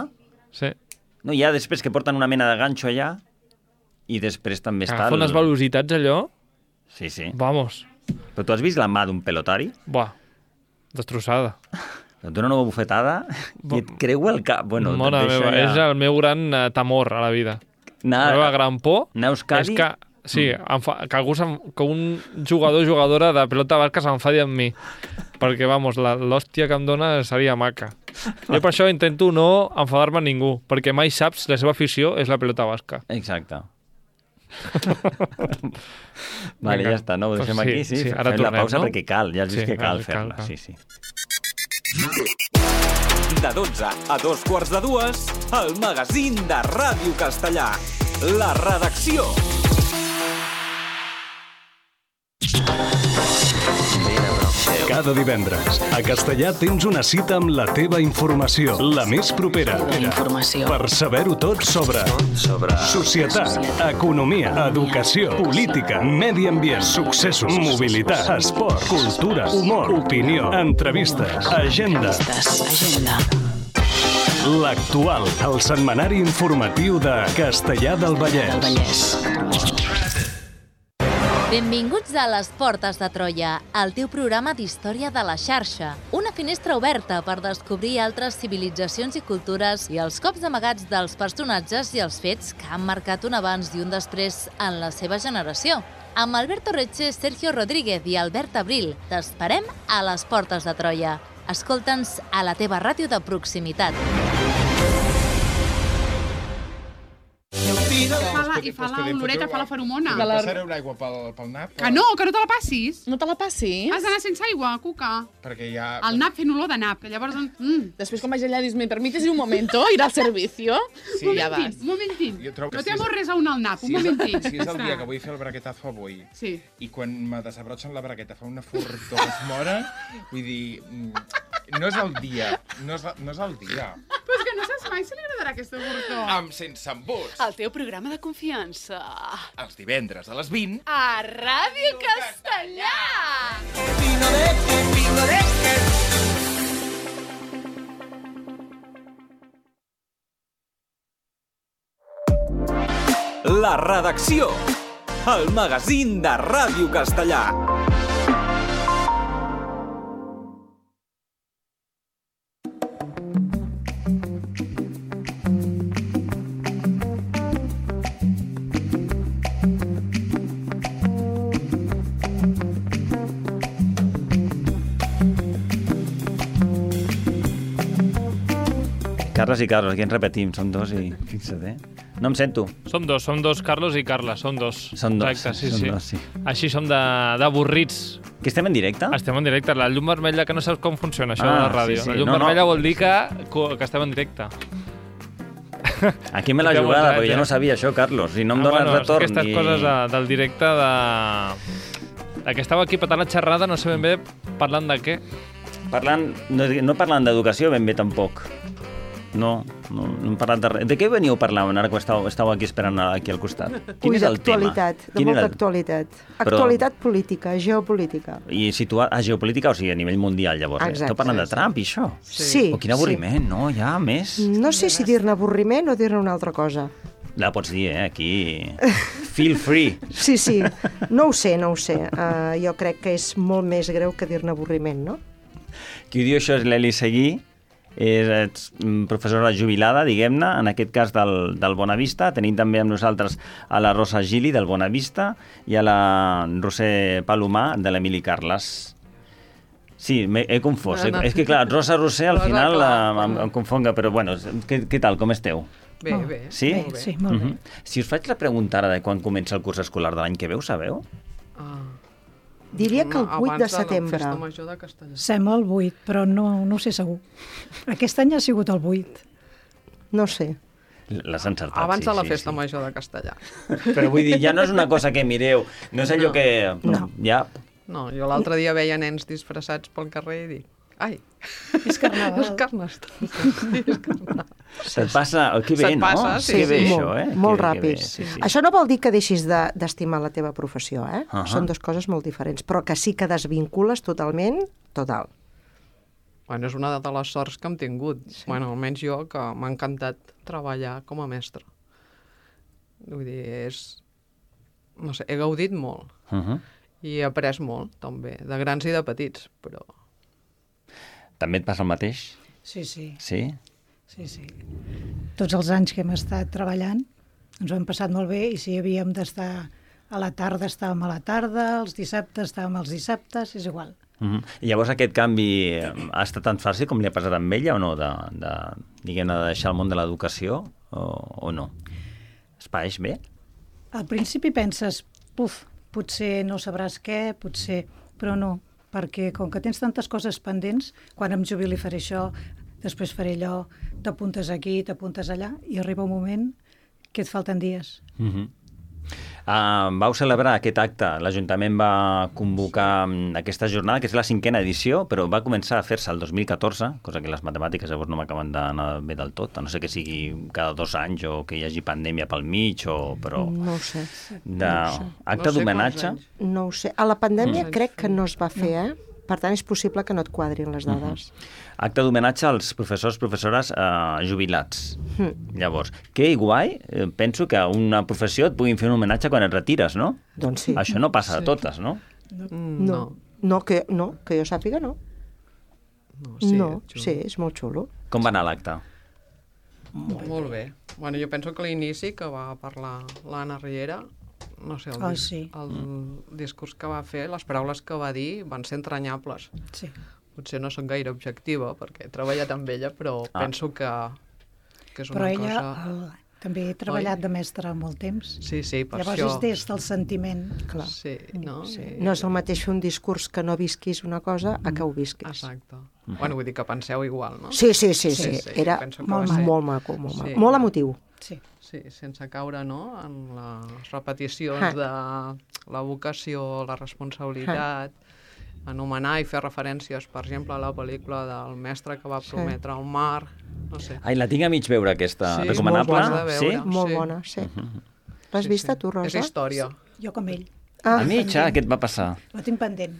[SPEAKER 4] sí.
[SPEAKER 3] No, hi ha després que porten una mena de ganxo allà i després també està...
[SPEAKER 4] Agafa unes velocitats allò?
[SPEAKER 3] Sí, sí.
[SPEAKER 4] Vamos.
[SPEAKER 3] Però tu has vist la mà d'un pelotari?
[SPEAKER 4] Buah, destrossada.
[SPEAKER 3] Et dona una bufetada i et creu el cap. Bueno,
[SPEAKER 4] Mona meva, ja... és el meu gran uh, temor a la vida.
[SPEAKER 3] Na...
[SPEAKER 4] La meva gran por
[SPEAKER 3] Neus Cadi?
[SPEAKER 4] és que, sí, mm. fa... que, algú que un jugador o jugadora de pelota basca s'enfadi amb mi. Perquè, vamos, l'hòstia que em dona seria maca. Jo per això intento no enfadar-me amb ningú, perquè mai saps la seva afició és la pelota basca.
[SPEAKER 3] Exacte. Vale, Vinga. Ja està, no? Ho deixem sí, aquí, sí?
[SPEAKER 4] sí ara
[SPEAKER 3] Fem
[SPEAKER 4] tornem,
[SPEAKER 3] la pausa
[SPEAKER 4] no?
[SPEAKER 3] perquè cal, ja has vist
[SPEAKER 4] sí,
[SPEAKER 3] que cal
[SPEAKER 4] cal,
[SPEAKER 3] fer-la.
[SPEAKER 4] cal.
[SPEAKER 3] Sí, sí.
[SPEAKER 1] De dotze a dos quarts de dues, el magazín de Ràdio Castellà. La redacció.
[SPEAKER 13] Cada divendres, a Castellà tens una cita amb la teva informació, la més propera,
[SPEAKER 14] informació.
[SPEAKER 13] per saber-ho tot sobre,
[SPEAKER 14] sobre
[SPEAKER 13] societat, economia, educació, política, medi ambient, successos, mobilitat, esport, cultura, humor, opinió, entrevistes, agenda.
[SPEAKER 14] Agenda.
[SPEAKER 13] L'Actual, el setmanari informatiu de Castellà del Vallès.
[SPEAKER 14] Del Vallès.
[SPEAKER 15] Benvinguts a Les Portes de Troia, el teu programa d'història de la xarxa. Una finestra oberta per descobrir altres civilitzacions i cultures i els cops amagats dels personatges i els fets que han marcat un abans i un després en la seva generació. Amb Alberto Retxe, Sergio Rodríguez i Albert Abril, t'esperem a Les Portes de Troia. Escolta'ns a la teva ràdio de proximitat.
[SPEAKER 16] I fa la, i fa la oloreta, fa la feromona.
[SPEAKER 17] Que passareu l'aigua pel, pel nap?
[SPEAKER 16] Que no, que no te la passis.
[SPEAKER 17] No te la passis?
[SPEAKER 16] Has d'anar sense aigua, Cuca.
[SPEAKER 17] Perquè ja...
[SPEAKER 16] El nap fent olor de nap, que llavors... Mm.
[SPEAKER 17] Després quan vaig allà dius, ¿me permites un momento ir al servicio?
[SPEAKER 16] Sí. Un momentín, un momentín. No té amor res a un al nap, un momentín.
[SPEAKER 17] Si és el dia que vull fer el braguetazo avui,
[SPEAKER 16] sí.
[SPEAKER 17] I quan me desabrotxen la bragueta fa una furtor que es mora, vull dir, no és el dia, no és, no és el dia.
[SPEAKER 16] Però és que no saps mai si li agradarà aquesta furtor.
[SPEAKER 17] Amb Sense Embuts.
[SPEAKER 16] El teu programa de confiança.
[SPEAKER 17] Els divendres a les vint.
[SPEAKER 16] A Ràdio Castellà!
[SPEAKER 8] Pepino de, pepino de,
[SPEAKER 1] La redacció. El magazín de Ràdio Castellà.
[SPEAKER 3] Carles i Carlos, aquí ens repetim, som dos i fixa't, eh? No em sento.
[SPEAKER 4] Som dos, som dos Carlos i Carla, som dos.
[SPEAKER 3] Som dos,
[SPEAKER 4] Exacte, sí,
[SPEAKER 3] som
[SPEAKER 4] sí.
[SPEAKER 3] dos, sí.
[SPEAKER 4] Així som de- d'avorrits.
[SPEAKER 3] Que estem en directe?
[SPEAKER 4] Estem en directe. La llum vermella, que no saps com funciona això
[SPEAKER 3] Ah,
[SPEAKER 4] de la ràdio.
[SPEAKER 3] sí, sí.
[SPEAKER 4] La llum
[SPEAKER 3] No, no.
[SPEAKER 4] vermella vol dir que, que estem en directe.
[SPEAKER 3] Aquí me l'ha
[SPEAKER 4] Ja
[SPEAKER 3] jugada,
[SPEAKER 4] vols,
[SPEAKER 3] perquè
[SPEAKER 4] eh?
[SPEAKER 3] jo no sabia això, Carlos, i no em
[SPEAKER 4] Ah,
[SPEAKER 3] dóna
[SPEAKER 4] bueno,
[SPEAKER 3] retorn.
[SPEAKER 4] és aquestes
[SPEAKER 3] i...
[SPEAKER 4] coses de, del directe de... de que estava aquí patant la xerrada, no sé ben bé parlant de què.
[SPEAKER 3] Parlant, no, no parlant d'educació ben bé tampoc. No, no, no hem parlat de res. De què veníeu parlant ara que estàu, estàu aquí esperant aquí al costat? Quin
[SPEAKER 18] Ui,
[SPEAKER 3] és el tema?
[SPEAKER 18] d'actualitat, de
[SPEAKER 3] Quin
[SPEAKER 18] molta
[SPEAKER 3] era el-
[SPEAKER 18] actualitat.
[SPEAKER 3] Però-
[SPEAKER 18] Actualitat política, geopolítica.
[SPEAKER 3] I situar a geopolítica, o sigui, a nivell mundial, llavors.
[SPEAKER 18] Exacte.
[SPEAKER 3] Eh? Esteu parlant de Trump i això?
[SPEAKER 18] Sí.
[SPEAKER 3] Oh, quin avorriment, no? Ja, més.
[SPEAKER 18] No sé si dir-ne avorriment o dir-ne una altra cosa.
[SPEAKER 3] La pots dir, eh? Aquí... Feel free.
[SPEAKER 18] Sí, sí, no ho sé, no ho sé. Uh, jo crec que és molt més greu que dir-ne avorriment, no?
[SPEAKER 3] Qui ho diu això és l'Eli Seguí, és ets, mm, professora jubilada, diguem-ne, en aquest cas del, del Bonavista. Tenim també amb nosaltres a la Rosa Gili, del Bonavista, i a la Roser Palomar, de l'Emili Carles. Sí, m'he he confós.
[SPEAKER 19] No, no.
[SPEAKER 3] Eh? És que, clar, Rosa Roser al
[SPEAKER 19] Rosa,
[SPEAKER 3] final
[SPEAKER 19] clar.
[SPEAKER 3] eh, em, em confonga, però bueno, què, què tal, com esteu?
[SPEAKER 19] Bé, bé.
[SPEAKER 3] Sí?
[SPEAKER 19] Bé, sí, molt bé.
[SPEAKER 3] Mhm. Si us faig la pregunta ara de quan comença el curs escolar de l'any que ve, ho sabeu?
[SPEAKER 18] Diria que el vuit de
[SPEAKER 19] Abans de la
[SPEAKER 18] setembre.
[SPEAKER 19] festa major de Castellà.
[SPEAKER 20] Sembla el vuit, però no, no ho sé segur. Aquest any ha sigut el vuit.
[SPEAKER 18] No sé.
[SPEAKER 3] L'has encertat,
[SPEAKER 19] Abans
[SPEAKER 3] sí,
[SPEAKER 19] de la
[SPEAKER 3] sí,
[SPEAKER 19] festa
[SPEAKER 3] sí.
[SPEAKER 19] major de Castellà.
[SPEAKER 3] Però vull dir, ja no és una cosa que mireu, no és allò
[SPEAKER 19] No.
[SPEAKER 3] que...
[SPEAKER 19] No.
[SPEAKER 3] Ja...
[SPEAKER 19] No, jo l'altre dia veia nens disfressats pel carrer i dic, ai,
[SPEAKER 20] és carnaval.
[SPEAKER 19] és carnestoltes. Sí, és carnaval.
[SPEAKER 3] Se't passa... Que bé,
[SPEAKER 19] Se't
[SPEAKER 3] no?
[SPEAKER 19] passa, sí,
[SPEAKER 3] que bé,
[SPEAKER 19] sí.
[SPEAKER 3] això, eh?
[SPEAKER 18] Molt
[SPEAKER 3] que,
[SPEAKER 18] ràpid.
[SPEAKER 3] Que bé, sí, sí.
[SPEAKER 18] Això no vol dir que deixis de- d'estimar la teva professió, eh?
[SPEAKER 3] Ahà.
[SPEAKER 18] Són dues coses molt diferents, però que sí que desvincules totalment, total.
[SPEAKER 19] Bueno, és una de les sorts que hem tingut. Sí. Bueno, almenys jo, que m'ha encantat treballar com a mestre. Vull dir, és... No sé, he gaudit molt.
[SPEAKER 3] Uh -huh.
[SPEAKER 19] I he après molt, també, de grans i de petits, però...
[SPEAKER 3] També et passa el mateix?
[SPEAKER 20] Sí, sí.
[SPEAKER 3] Sí?
[SPEAKER 20] Sí, sí. Tots els anys que hem estat treballant ens ho hem passat molt bé i si havíem d'estar a la tarda estàvem a la tarda, els dissabtes estàvem els dissabtes, és igual.
[SPEAKER 3] Uh -huh. I llavors aquest canvi eh, ha estat tan fàcil com li ha passat amb ella o no? De, de, diguem-ne, de deixar el món de l'educació o, o no? Es pareix bé?
[SPEAKER 20] Al principi penses, puf, potser no sabràs què, potser... Però no, perquè com que tens tantes coses pendents, quan em jubili faré això, després faré allò, t'apuntes aquí, t'apuntes allà, i arriba un moment que et falten dies.
[SPEAKER 3] Uh -huh. Uh, vau celebrar aquest acte, l'Ajuntament va convocar um, aquesta jornada, que és la cinquena edició, però va començar a fer-se el dos mil catorze, cosa que les matemàtiques llavors no m'acaben d'anar bé del tot, a no sé que sigui cada dos anys o que hi hagi pandèmia pel mig, o, però...
[SPEAKER 18] No ho sé.
[SPEAKER 3] De...
[SPEAKER 18] No ho sé.
[SPEAKER 3] Acte d'homenatge?
[SPEAKER 18] No ho sé. A la pandèmia
[SPEAKER 3] Mm.
[SPEAKER 18] crec que no es va fer, eh? Per tant, és possible que no et quadrin les dades.
[SPEAKER 3] Acte d'homenatge als professors, professores eh, jubilats.
[SPEAKER 18] Mm.
[SPEAKER 3] Llavors, que guai, eh, penso que a una professió et puguin fer un homenatge quan et retires, no?
[SPEAKER 18] Doncs sí.
[SPEAKER 3] Això no passa
[SPEAKER 18] Sí.
[SPEAKER 3] a totes, no?
[SPEAKER 18] No. No, que, no, que jo sàpiga, no.
[SPEAKER 19] No,
[SPEAKER 18] sí,
[SPEAKER 19] sí,
[SPEAKER 18] no,
[SPEAKER 19] xulo.
[SPEAKER 18] sí, és molt xulo.
[SPEAKER 3] Com va anar l'acte?
[SPEAKER 19] Molt, molt bé. Bueno, jo penso que l'inici que va parlar l'Anna Riera, no sé, el,
[SPEAKER 20] Oh,
[SPEAKER 19] dis
[SPEAKER 20] sí.
[SPEAKER 19] el discurs que va fer, les paraules que va dir van ser entranyables.
[SPEAKER 20] Sí.
[SPEAKER 19] Potser no soc gaire objectiva, perquè he treballat amb ella, però
[SPEAKER 20] Ah.
[SPEAKER 19] penso que, que és
[SPEAKER 20] Però
[SPEAKER 19] una
[SPEAKER 20] ella
[SPEAKER 19] cosa...
[SPEAKER 20] el, també he treballat de mestre molt temps.
[SPEAKER 19] Sí, sí, per
[SPEAKER 20] Llavors
[SPEAKER 19] això...
[SPEAKER 20] és des del sentiment.
[SPEAKER 18] Clar.
[SPEAKER 19] Sí, no?
[SPEAKER 18] Sí. No és el mateix fer un discurs que no visquis una cosa a que ho visquis.
[SPEAKER 19] Exacte. Bueno, vull dir que penseu igual, no?
[SPEAKER 18] Sí, sí, sí, sí. Era
[SPEAKER 19] penso que
[SPEAKER 18] molt,
[SPEAKER 19] va ser-
[SPEAKER 18] molt maco, molt maco.
[SPEAKER 19] Sí.
[SPEAKER 18] Molt emotiu.
[SPEAKER 20] Sí.
[SPEAKER 19] Sí, sense caure, no?, en les repeticions
[SPEAKER 18] Ah.
[SPEAKER 19] de la vocació, la responsabilitat, anomenar i fer referències, per exemple, a la pel·lícula del mestre que va
[SPEAKER 18] Sí.
[SPEAKER 19] prometre el mar, no sé.
[SPEAKER 3] Ai, la tinc a mig veure, aquesta.
[SPEAKER 19] Sí,
[SPEAKER 3] Recomanable?
[SPEAKER 19] molt bona de
[SPEAKER 3] Sí?
[SPEAKER 19] veure.
[SPEAKER 18] Molt
[SPEAKER 19] Sí.
[SPEAKER 18] bona, sí. L'has vista tu, Rosa?
[SPEAKER 19] És història.
[SPEAKER 20] Jo com ell.
[SPEAKER 18] Ah.
[SPEAKER 3] A mitja, què et va passar?
[SPEAKER 20] La tinc pendent.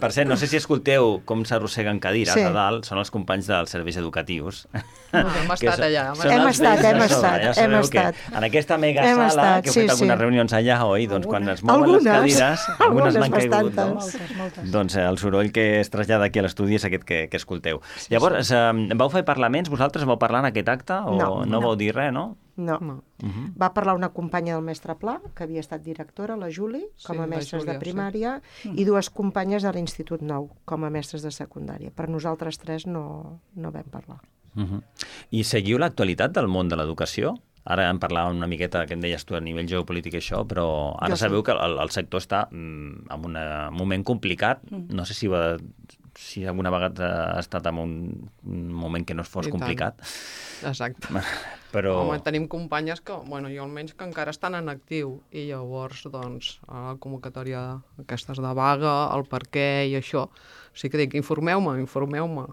[SPEAKER 3] Per cert, no sé si escolteu com s'arrosseguen cadires
[SPEAKER 18] Sí.
[SPEAKER 3] a dalt, són els companys dels serveis educatius.
[SPEAKER 19] Ah, hem
[SPEAKER 3] Que
[SPEAKER 19] estat
[SPEAKER 3] són-
[SPEAKER 19] allà, hem
[SPEAKER 3] són
[SPEAKER 18] Hem
[SPEAKER 3] els
[SPEAKER 18] estat,
[SPEAKER 3] vells de
[SPEAKER 18] hem
[SPEAKER 3] sobre,
[SPEAKER 18] estat,
[SPEAKER 3] ja sabeu
[SPEAKER 18] hem
[SPEAKER 3] que
[SPEAKER 18] estat.
[SPEAKER 3] En aquesta mega
[SPEAKER 18] Hem
[SPEAKER 3] sala,
[SPEAKER 18] estat,
[SPEAKER 3] que heu
[SPEAKER 18] sí,
[SPEAKER 3] fet algunes
[SPEAKER 18] sí.
[SPEAKER 3] reunions allà, oi? Doncs quan es mouen
[SPEAKER 18] Algunes.
[SPEAKER 3] les cadires, algunes
[SPEAKER 18] Algunes,
[SPEAKER 3] n'han caigut, no?
[SPEAKER 18] bastantes.
[SPEAKER 20] Moltes, moltes.
[SPEAKER 3] Doncs eh, el soroll que es trasllada aquí a l'estudi és aquest que, que escolteu. Llavors, eh, vau fer parlaments, vosaltres vau parlar en aquest acte? O
[SPEAKER 18] No,
[SPEAKER 3] no
[SPEAKER 18] no.
[SPEAKER 3] vau dir res, no?
[SPEAKER 18] No.
[SPEAKER 19] no.
[SPEAKER 18] Uh-huh. Va parlar una companya del mestre Pla, que havia estat directora, la Juli, com a
[SPEAKER 19] Sí, la
[SPEAKER 18] mestres
[SPEAKER 19] Júlia,
[SPEAKER 18] de primària,
[SPEAKER 19] sí.
[SPEAKER 18] i dues companyes de l'Institut Nou, com a mestres de secundària. Per nosaltres tres no, no vam parlar.
[SPEAKER 3] Uh-huh. I seguiu l'actualitat del món de l'educació? Ara en parlàvem una miqueta, que em deies tu, a nivell geopolític i això, però ara
[SPEAKER 18] Jo
[SPEAKER 3] sabeu
[SPEAKER 18] sí.
[SPEAKER 3] que el, el sector està mm, en un moment complicat.
[SPEAKER 18] Mm.
[SPEAKER 3] No sé si, va, si alguna vegada ha estat en un, un moment que no es fos
[SPEAKER 19] I tant.
[SPEAKER 3] complicat.
[SPEAKER 19] Exacte.
[SPEAKER 3] Però...
[SPEAKER 19] Home, tenim companyes que, bueno, jo almenys que encara estan en actiu i llavors, doncs, a la convocatòria aquestes de vaga, el per què i això, sí que dic, informeu-me, informeu-me,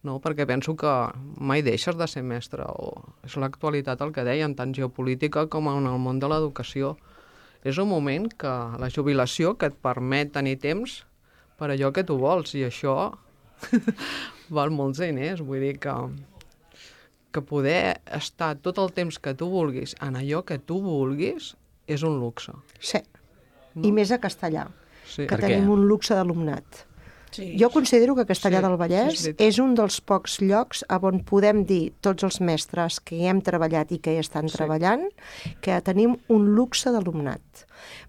[SPEAKER 19] no? Perquè penso que mai deixes de ser mestre, o és l'actualitat el que dèiem, tant geopolítica com en el món de l'educació. És un moment que la jubilació que et permet tenir temps per allò que tu vols, i això val molts diners, vull dir que que poder estar tot el temps que tu vulguis en allò que tu vulguis és un luxe.
[SPEAKER 18] Sí, no? I més a castellà,
[SPEAKER 19] sí.
[SPEAKER 18] que tenim un luxe d'alumnat. Sí. Jo considero que Castellà sí, del Vallès sí, és, és un dels pocs llocs on podem dir tots els mestres que hi hem treballat i que hi estan sí. treballant que tenim un luxe d'alumnat.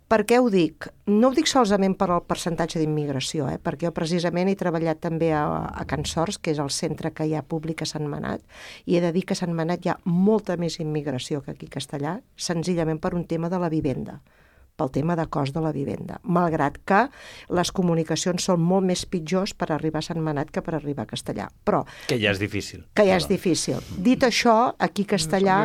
[SPEAKER 18] Per què ho dic? No ho dic solament per al percentatge d'immigració, eh? Perquè jo precisament he treballat també a, a Can Sors, que és el centre que hi ha públic a Sant Manat, i he de dir que a Sant Manat hi ha molta més immigració que aquí a Castellà, senzillament per un tema de la vivenda, pel tema de cost de la vivenda, malgrat que les comunicacions són molt més pitjors per arribar a Sant Manat que per arribar a Castellà. Però,
[SPEAKER 3] que ja és difícil.
[SPEAKER 18] Que ja és difícil. Dit això, aquí a Castellà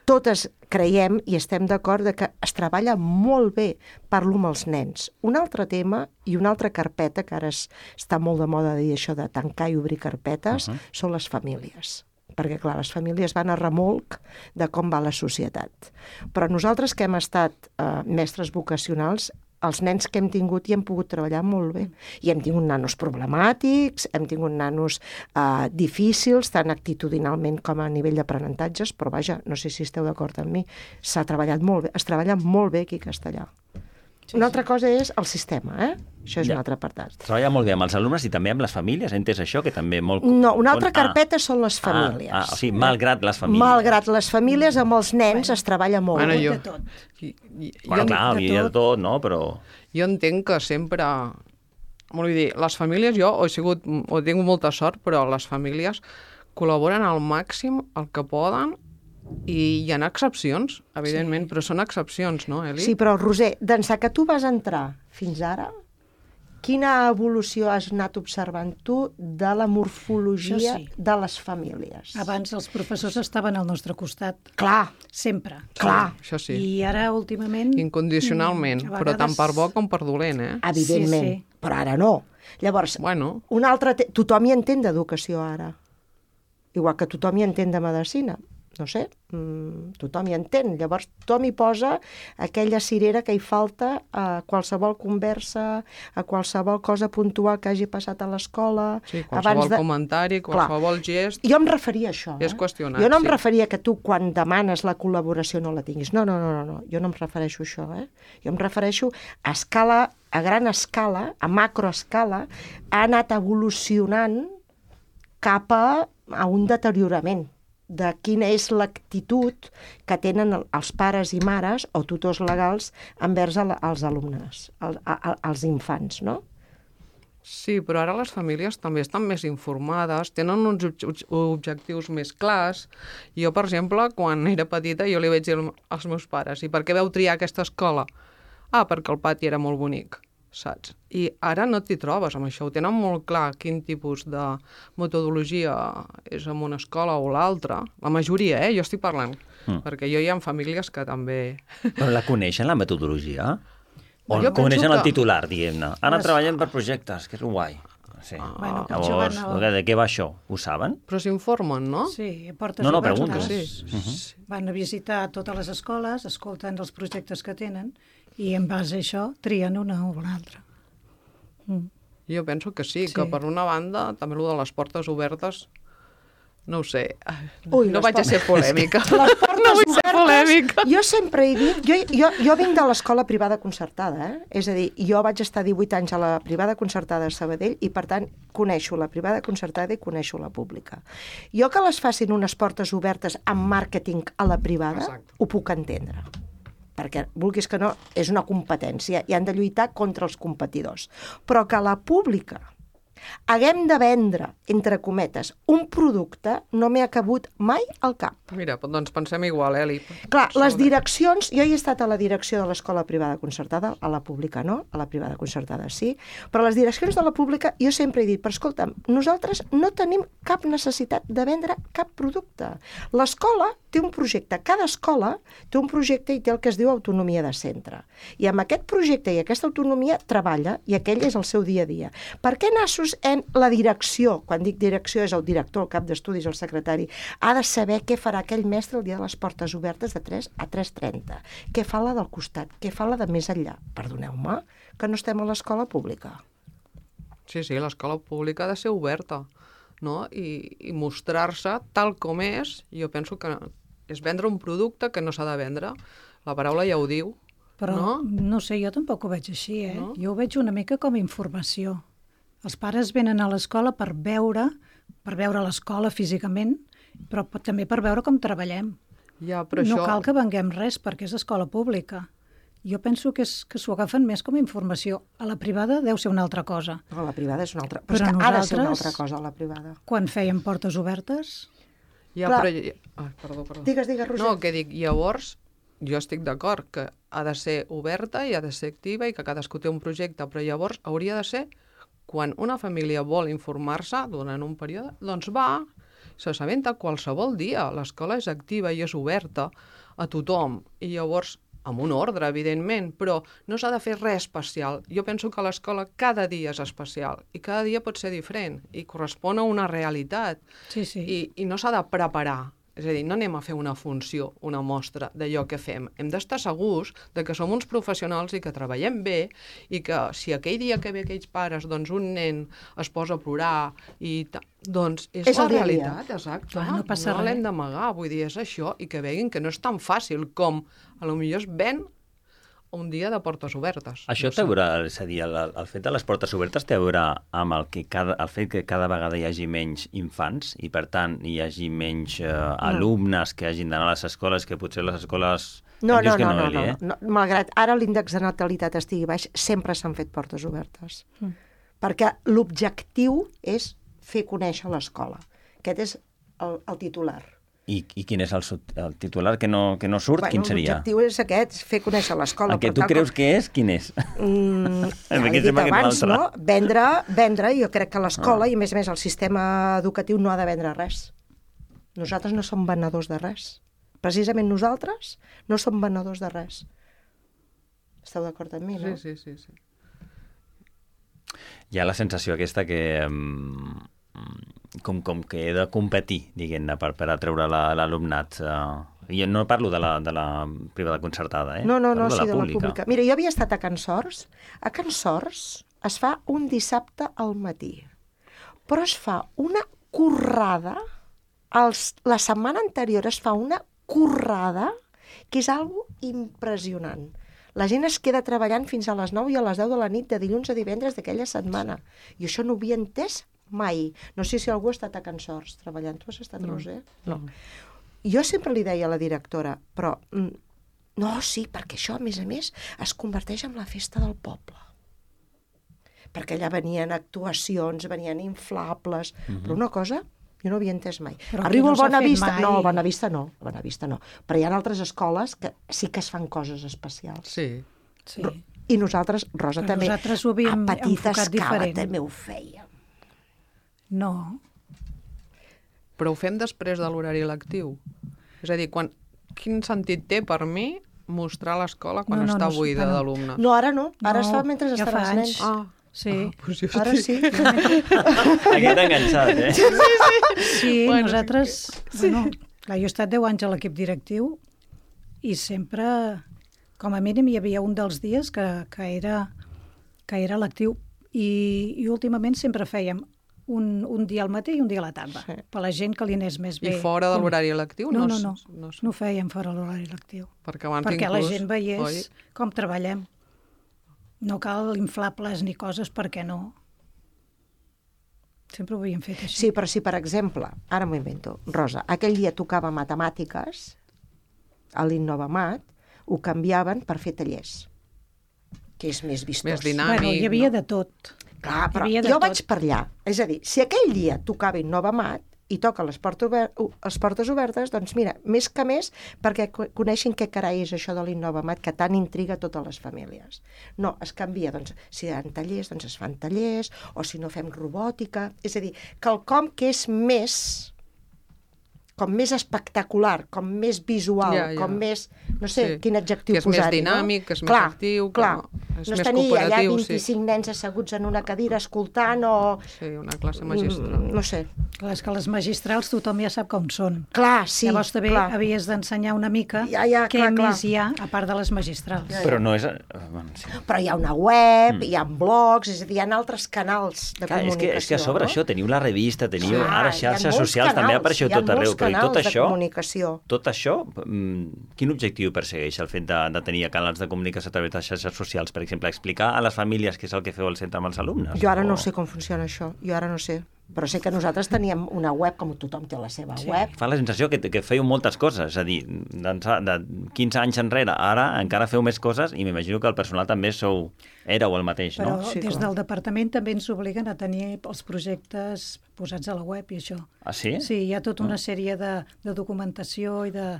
[SPEAKER 18] totes creiem i estem d'acord de que es treballa molt bé, parlo amb els nens. Un altre tema i una altra carpeta, que ara es, està molt de moda dir això de tancar i obrir carpetes, uh-huh. són les famílies. Perquè, clar, les famílies van a remolc de com va la societat. Però nosaltres que hem estat eh, mestres vocacionals, els nens que hem tingut hi hem pogut treballar molt bé. I hem tingut nanos problemàtics, hem tingut nanos eh, difícils, tant actitudinalment com a nivell d'aprenentatges, però vaja, no sé si esteu d'acord amb mi, s'ha treballat molt bé, es treballa molt bé aquí a Castellà. Sí, una altra cosa és el sistema, eh? Això és ja. un altre apartat.
[SPEAKER 3] Treballa molt bé amb els alumnes i també amb les famílies, he entès això, que també molt...
[SPEAKER 18] No, una altra carpeta ah. són les famílies.
[SPEAKER 3] Ah, ah, o sigui, malgrat les famílies.
[SPEAKER 18] Malgrat les famílies, amb els nens bueno, es treballa molt.
[SPEAKER 19] Bueno,
[SPEAKER 18] jo...
[SPEAKER 19] de tot. I, i,
[SPEAKER 3] bueno,
[SPEAKER 19] jo,
[SPEAKER 3] clar, hi ha de tot, no? Però...
[SPEAKER 19] Jo entenc que sempre... Vull dir, les famílies, jo he sigut, he tingut molta sort, però les famílies col·laboren al màxim el que poden. I hi ha excepcions, evidentment, sí. però són excepcions, no, Eli?
[SPEAKER 18] Sí, però, Roser, d'ençà que tu vas entrar fins ara, quina evolució has anat observant tu de la morfologia sí. de les famílies?
[SPEAKER 20] Abans els professors estaven al nostre costat.
[SPEAKER 18] Clar.
[SPEAKER 20] Sempre.
[SPEAKER 18] Clar.
[SPEAKER 19] Sí, això sí.
[SPEAKER 20] I ara, últimament...
[SPEAKER 19] Incondicionalment, mm, vegades... però tant per bo com per dolent, eh?
[SPEAKER 18] Evidentment, sí, sí. Però ara no. Llavors,
[SPEAKER 19] bueno.
[SPEAKER 18] un altre te... tothom hi entén d'educació ara. Igual que tothom hi entén de medicina. No sé, mmm, tothom hi entén. Llavors tothom hi posa aquella cirera que hi falta a qualsevol conversa, a qualsevol cosa puntual que hagi passat a l'escola.
[SPEAKER 19] Sí, qualsevol de... comentari, qualsevol Clar. gest...
[SPEAKER 18] Jo em referia a això.
[SPEAKER 19] És
[SPEAKER 18] eh?
[SPEAKER 19] qüestionat,
[SPEAKER 18] Jo no em
[SPEAKER 19] sí.
[SPEAKER 18] referia que tu quan demanes la col·laboració no la tinguis. No, no, no, no, no. Jo no em refereixo a això. Eh? Jo em refereixo a escala, a gran escala, a macroescala, ha anat evolucionant cap a, a un deteriorament de quina és l'actitud que tenen els pares i mares o tutors legals envers els alumnes, els infants, no?
[SPEAKER 19] Sí, però ara les famílies també estan més informades, tenen uns objectius més clars. Jo, per exemple, quan era petita, jo li vaig dir als meus pares, i per què vau triar aquesta escola? Ah, perquè el pati era molt bonic, saps? I ara no t'hi trobes amb això, ho tenen molt clar quin tipus de metodologia és en una escola o l'altra. La majoria, eh? Jo estic parlant, mm. perquè jo hi ha famílies que també...
[SPEAKER 3] Però la coneixen, la metodologia? O
[SPEAKER 19] jo
[SPEAKER 3] coneixen
[SPEAKER 19] que...
[SPEAKER 3] el titular, diguem-ne? Ara les... treballen per projectes, que és guai. Sí.
[SPEAKER 20] Ah, bueno,
[SPEAKER 3] llavors,
[SPEAKER 20] al...
[SPEAKER 3] de què va això? Ho saben?
[SPEAKER 19] Però s'informen, no?
[SPEAKER 20] Sí, portes
[SPEAKER 3] no, no,
[SPEAKER 20] oberts,
[SPEAKER 3] pregunto.
[SPEAKER 20] Sí.
[SPEAKER 3] Uh-huh.
[SPEAKER 20] Van a visitar totes les escoles, escolten els projectes que tenen i en base a això trien una o l'altra.
[SPEAKER 19] Mm. Jo penso que sí, sí, que per una banda també el de les portes obertes no ho sé,
[SPEAKER 18] Ui,
[SPEAKER 19] no
[SPEAKER 18] les
[SPEAKER 19] vaig a ser polèmica.
[SPEAKER 18] Les portes
[SPEAKER 19] No vull ser polèmica.
[SPEAKER 18] Jo sempre he dit... Jo, jo, jo vinc de l'escola privada concertada, eh? És a dir, jo vaig estar divuit anys a la privada concertada a Sabadell i, per tant, coneixo la privada concertada i coneixo la pública. Jo que les facin unes portes obertes amb màrqueting a la privada, Exacte. Ho puc entendre. Perquè, vulguis que no, és una competència i han de lluitar contra els competidors. Però que a la pública haguem de vendre, entre cometes, un producte no m'ha cabut mai al cap.
[SPEAKER 19] Mira, doncs pensem igual, Eli.
[SPEAKER 18] Clar, les direccions... Jo hi he estat a la direcció de l'escola privada concertada, a la pública no, a la privada concertada sí, però les direccions de la pública jo sempre he dit, però escolta'm, nosaltres no tenim cap necessitat de vendre cap producte. L'escola té un projecte, cada escola té un projecte i té el que es diu autonomia de centre. I amb aquest projecte i aquesta autonomia treballa i aquell és el seu dia a dia. Per què nassos en la direcció, quan dic direcció és el director, el cap d'estudis, el secretari, ha de saber què farà aquell mestre el dia de les portes obertes de tres a tres trenta, què fa la del costat, què fa la de més enllà. Perdoneu-me, que no estem a l'escola pública.
[SPEAKER 19] Sí, sí, l'escola pública ha de ser oberta, no? I, i mostrar-se tal com és, jo penso que és vendre un producte que no s'ha de vendre. La paraula ja ho diu,
[SPEAKER 20] Però,
[SPEAKER 19] no?
[SPEAKER 20] no sé, jo tampoc ho veig així, eh?
[SPEAKER 19] No?
[SPEAKER 20] Jo ho veig una mica com a informació. Els pares venen a l'escola per veure, per veure l'escola físicament, però també per veure com treballem.
[SPEAKER 19] Ja, però
[SPEAKER 20] no
[SPEAKER 19] això...
[SPEAKER 20] cal que venguem res perquè és escola pública. Jo penso que, és, que s'ho agafen més com a informació. A la privada deu ser una altra cosa.
[SPEAKER 18] A la privada és una altra... Però,
[SPEAKER 20] però
[SPEAKER 18] és que ha de ser una altra cosa, a la privada.
[SPEAKER 20] Quan fèiem portes obertes...
[SPEAKER 19] Ja,
[SPEAKER 18] Clar.
[SPEAKER 19] però... Ai, perdó, perdó.
[SPEAKER 18] Digues, digues, Roser.
[SPEAKER 19] No, que dic, llavors, jo estic d'acord que ha de ser oberta i ha de ser activa i que cadascú té un projecte, però llavors hauria de ser quan una família vol informar-se durant un període, doncs va, s'assabenta qualsevol dia. L'escola és activa i és oberta a tothom. I llavors, amb un ordre, evidentment, però no s'ha de fer res especial. Jo penso que l'escola cada dia és especial i cada dia pot ser diferent i correspon a una realitat.
[SPEAKER 20] Sí, sí.
[SPEAKER 19] I, i no s'ha de preparar. És a dir, no anem a fer una funció, una mostra d'allò que fem. Hem d'estar segurs de que som uns professionals i que treballem bé i que si aquell dia que ve aquells pares, doncs un nen es posa a plorar i ta... doncs és,
[SPEAKER 18] És
[SPEAKER 19] la
[SPEAKER 18] el dia a dia.
[SPEAKER 19] realitat, exacte.
[SPEAKER 20] Clar, no passa
[SPEAKER 19] no l'hem
[SPEAKER 20] res.
[SPEAKER 19] d'amagar, vull dir, és això, i que veguin que no és tan fàcil com a lo millor es ven un dia de portes obertes.
[SPEAKER 3] Això
[SPEAKER 19] no
[SPEAKER 3] té a
[SPEAKER 19] sé.
[SPEAKER 3] veure, és a dir, el, el fet de les portes obertes té a veure amb el, que cada, el fet que cada vegada hi hagi menys infants i, per tant, hi hagi menys eh, alumnes que hagin d'anar a les escoles, que potser les escoles...
[SPEAKER 18] No,
[SPEAKER 3] em dius
[SPEAKER 18] no,
[SPEAKER 3] que
[SPEAKER 18] no, no,
[SPEAKER 3] Eli,
[SPEAKER 18] no,
[SPEAKER 3] eh?
[SPEAKER 18] no. Malgrat ara l'índex de natalitat estigui baix, sempre s'han fet portes obertes.
[SPEAKER 20] Mm.
[SPEAKER 18] Perquè l'objectiu és fer conèixer l'escola. Aquest és el, el titular.
[SPEAKER 3] I, I quin és el, sut- el titular que no, que no surt?
[SPEAKER 18] Bueno,
[SPEAKER 3] Quin seria?
[SPEAKER 18] l'objectiu és aquest, fer conèixer l'escola.
[SPEAKER 3] El que
[SPEAKER 18] però
[SPEAKER 3] tu
[SPEAKER 18] tal
[SPEAKER 3] creus
[SPEAKER 18] com-
[SPEAKER 3] que és, quin és?
[SPEAKER 18] Mm, ja
[SPEAKER 3] Perquè
[SPEAKER 18] l'he dit
[SPEAKER 3] sembla que és
[SPEAKER 18] abans,
[SPEAKER 3] l'altre.
[SPEAKER 18] no? Vendre, vendre, jo crec que l'escola,
[SPEAKER 3] Ah.
[SPEAKER 18] i a més a més el sistema educatiu no ha de vendre res. Nosaltres no som venedors de res. Precisament nosaltres no som venedors de res. Esteu d'acord amb mi, no?
[SPEAKER 19] Sí, sí, sí, sí.
[SPEAKER 3] Hi ha la sensació aquesta que... mm, com, com que he de competir, diguem-ne, per, per atreure la- l'alumnat. Uh, I no parlo de la, de la privada concertada, eh?
[SPEAKER 18] No, no, no,
[SPEAKER 3] Parlo
[SPEAKER 18] sí, de la pública. Mira, jo havia estat a Can Sors. A Can Sors es fa un dissabte al matí, però es fa una currada, els, la setmana anterior es fa una currada que és algo impressionant. La gent es queda treballant fins a les nou i a les deu de la nit de dilluns a divendres d'aquella setmana. I això no ho havia entès mai. No sé si algú ha estat a Can Sors treballant. Tu has estat,
[SPEAKER 19] No.
[SPEAKER 18] Roser? No. Jo sempre li deia a la directora, però mm, no, sí, perquè això, a més a més, es converteix en la festa del poble. Perquè allà venien actuacions, venien inflables,
[SPEAKER 3] Mhm.
[SPEAKER 18] però una cosa jo no havia entès mai.
[SPEAKER 20] Però
[SPEAKER 18] Arribo
[SPEAKER 20] aquí no
[SPEAKER 18] al
[SPEAKER 20] s'ha fet
[SPEAKER 18] Bonavista,
[SPEAKER 20] mai.
[SPEAKER 18] no, al Bonavista no, al Bonavista no, però hi ha altres escoles que sí que es fan coses especials.
[SPEAKER 19] Sí.
[SPEAKER 20] Sí.
[SPEAKER 18] Ro- I nosaltres, Rosa,
[SPEAKER 20] Però
[SPEAKER 18] també,
[SPEAKER 20] nosaltres ho havíem
[SPEAKER 18] a petita
[SPEAKER 20] enfocat
[SPEAKER 18] escala
[SPEAKER 20] diferent.
[SPEAKER 18] també ho fèiem.
[SPEAKER 20] No.
[SPEAKER 19] Però ho fem després de l'horari lectiu. És a dir, quan... quin sentit té per mi mostrar l'escola quan
[SPEAKER 20] No, no,
[SPEAKER 19] està
[SPEAKER 20] no,
[SPEAKER 19] buida
[SPEAKER 20] no.
[SPEAKER 19] d'alumnes?
[SPEAKER 18] No, ara no, ara
[SPEAKER 20] No,
[SPEAKER 18] es fa mentre
[SPEAKER 20] ja
[SPEAKER 18] estan
[SPEAKER 20] fa
[SPEAKER 18] els
[SPEAKER 20] anys.
[SPEAKER 18] nens.
[SPEAKER 19] Ah,
[SPEAKER 20] Sí.
[SPEAKER 19] Ah, doncs jo
[SPEAKER 18] Ara
[SPEAKER 19] estic-
[SPEAKER 18] sí.
[SPEAKER 3] Aquest enganxat, eh?
[SPEAKER 20] Sí, sí,
[SPEAKER 19] Bueno,
[SPEAKER 20] nosaltres... Bueno, clar, jo he estat deu anys a l'equip directiu i sempre, com a mínim, hi havia un dels dies que, que era, que era lectiu i, i últimament sempre fèiem un, un dia al matí i un dia a la tarda, sí. per la gent que li anés més bé.
[SPEAKER 19] I fora de l'horari lectiu?
[SPEAKER 20] No, no,
[SPEAKER 19] no,
[SPEAKER 20] no, no, no ho fèiem fora de l'horari lectiu.
[SPEAKER 19] Perquè abans
[SPEAKER 20] Perquè
[SPEAKER 19] inclús,
[SPEAKER 20] la gent veiés
[SPEAKER 19] oi?
[SPEAKER 20] com treballem. No cal inflables ni coses perquè no. Sempre ho havíem fet així.
[SPEAKER 18] Sí, però si, per exemple, ara m'ho invento, Rosa, aquell dia tocava matemàtiques, a l'Innovamat, ho canviaven per fer tallers, que és més vistós.
[SPEAKER 19] Més dinàmic.
[SPEAKER 20] Bueno, hi havia no? de tot.
[SPEAKER 18] Clar, però
[SPEAKER 20] jo
[SPEAKER 18] tot. vaig per allà. És a dir, si aquell dia tocava Innovamat i toca les, ober les portes obertes, doncs mira, més que més, perquè coneixin què carai és això de l'Innovamat, que tant intriga a totes les famílies. No, es canvia, doncs, si hi ha tallers, doncs es fan tallers, o si no fem robòtica, és a dir, quelcom que és més, com més espectacular, com més visual,
[SPEAKER 19] ja, ja.
[SPEAKER 18] com més, no sé,
[SPEAKER 19] sí.
[SPEAKER 18] quin adjectiu
[SPEAKER 19] posar-hi. Que és
[SPEAKER 18] posar
[SPEAKER 19] més dinàmic, no? que és
[SPEAKER 18] clar,
[SPEAKER 19] més actiu,
[SPEAKER 18] clar.
[SPEAKER 19] que és
[SPEAKER 18] no
[SPEAKER 19] més
[SPEAKER 18] tenir allà
[SPEAKER 19] cooperatiu.
[SPEAKER 18] vint-i-cinc sí. nens asseguts en una cadira escoltant o...
[SPEAKER 19] Sí, una classe magistral.
[SPEAKER 18] No sé.
[SPEAKER 20] Clar, és que les magistrals tothom ja sap com són.
[SPEAKER 18] Clar, sí.
[SPEAKER 20] Llavors també
[SPEAKER 18] clar.
[SPEAKER 20] havies d'ensenyar una mica
[SPEAKER 18] ja, ja,
[SPEAKER 20] què
[SPEAKER 18] clar,
[SPEAKER 20] més
[SPEAKER 18] clar.
[SPEAKER 20] hi ha, a part de les magistrals.
[SPEAKER 3] Ja, ja. Però no és... Bueno, sí.
[SPEAKER 18] Però hi ha una web,
[SPEAKER 3] mm.
[SPEAKER 18] hi ha blogs, és a dir, hi ha altres canals de
[SPEAKER 3] clar,
[SPEAKER 18] comunicació.
[SPEAKER 3] És que, és que a sobre
[SPEAKER 18] no?
[SPEAKER 3] això, teniu la revista, teniu
[SPEAKER 18] clar,
[SPEAKER 3] ara xarxes socials,
[SPEAKER 18] canals,
[SPEAKER 3] també apareixeu tot arreu, però i tot això...
[SPEAKER 18] Comunicació.
[SPEAKER 3] Tot això, quin objectiu persegueix el fet de, de tenir canals de comunicació a través de xarxes socials, per exemple, explicar a les famílies què és el que feu al centre amb els alumnes?
[SPEAKER 18] Jo ara
[SPEAKER 3] o...
[SPEAKER 18] no sé com funciona això, jo ara no sé. Però sé que nosaltres teníem una web, com tothom té la seva sí. web.
[SPEAKER 3] Fa la sensació que, que fèieu moltes coses, és a dir, de quinze anys enrere, ara encara feu més coses i m'imagino que el personal també sou, éreu el mateix,
[SPEAKER 20] Però
[SPEAKER 3] no?
[SPEAKER 20] Però sí, des clar. del departament també ens obliguen a tenir els projectes posats a la web i això.
[SPEAKER 3] Ah, sí?
[SPEAKER 20] Sí, hi ha tota una sèrie de, de documentació i de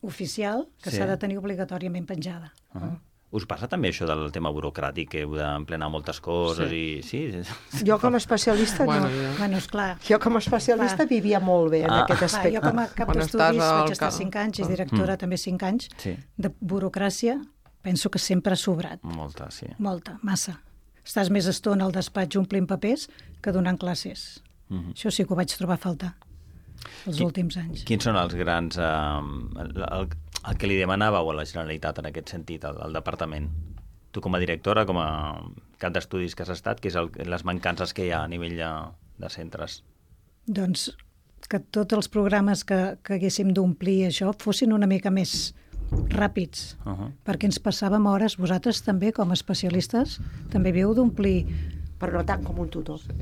[SPEAKER 20] oficial que s'ha sí. de tenir obligatòriament penjada.
[SPEAKER 3] Uh -huh. Us passa també això del tema burocràtic, que heu d'emplenar moltes coses
[SPEAKER 20] sí.
[SPEAKER 3] i... Sí.
[SPEAKER 18] Jo com a especialista
[SPEAKER 20] bueno,
[SPEAKER 18] no.
[SPEAKER 20] Ja. Bueno, esclar.
[SPEAKER 18] Jo com a especialista clar. vivia molt bé en ah. aquest aspecte.
[SPEAKER 20] Clar, jo com a cap bueno, d'estudis vaig estar cinc anys, és directora mm. també cinc anys,
[SPEAKER 3] sí.
[SPEAKER 20] de burocràcia, penso que sempre ha sobrat.
[SPEAKER 3] Molta, sí.
[SPEAKER 20] Molta, massa. Estàs més estona al despatx omplint papers que donant classes. Mm -hmm. Això sí que ho vaig trobar a faltar els Qui, últims anys.
[SPEAKER 3] Quins són els grans... Eh, el, el, el que li demanàveu a la Generalitat en aquest sentit, al, al departament? Tu com a directora, com a cap d'estudis que has estat, què és el, les mancances que hi ha a nivell de, de centres?
[SPEAKER 20] Doncs que tots els programes que, que haguéssim d'omplir això fossin una mica més ràpids, uh -huh. perquè ens passàvem hores, vosaltres també com a especialistes també havíeu d'omplir,
[SPEAKER 18] però no tant com un tutor. Sí.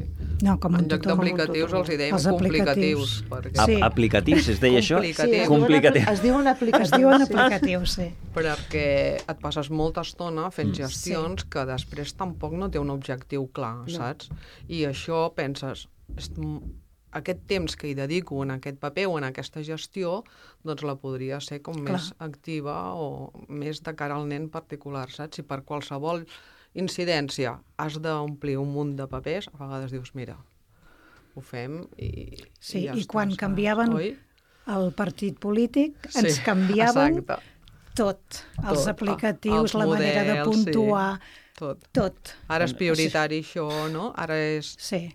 [SPEAKER 20] No, com un
[SPEAKER 19] tutor. En lloc d'aplicatius els hi dèiem els complicatius.
[SPEAKER 3] Perquè... Sí. Aplicatius, es deia això?
[SPEAKER 18] Sí, complicatius. Es diuen aplicatius.
[SPEAKER 20] Es diuen aplicatius, sí.
[SPEAKER 19] Perquè et passes molta estona fent gestions sí. que després tampoc no té un objectiu clar, no. saps? I això penses... aquest temps que hi dedico en aquest paper o en aquesta gestió, doncs la podria ser com clar. més activa o més de cara al nen particular, saps? Si per qualsevol incidència has d'omplir un munt de papers, a vegades dius, mira, ho fem i,
[SPEAKER 20] sí,
[SPEAKER 19] i ja
[SPEAKER 20] i
[SPEAKER 19] està,
[SPEAKER 20] quan
[SPEAKER 19] saps?
[SPEAKER 20] canviaven
[SPEAKER 19] Oi?
[SPEAKER 20] el partit polític,
[SPEAKER 19] sí,
[SPEAKER 20] ens canviaven
[SPEAKER 19] exacte.
[SPEAKER 20] tot. Els
[SPEAKER 19] tot.
[SPEAKER 20] aplicatius,
[SPEAKER 19] els
[SPEAKER 20] la
[SPEAKER 19] models,
[SPEAKER 20] manera de puntuar,
[SPEAKER 19] sí. tot.
[SPEAKER 20] tot.
[SPEAKER 19] Ara és prioritari sí. això, no? Ara és...
[SPEAKER 20] Sí.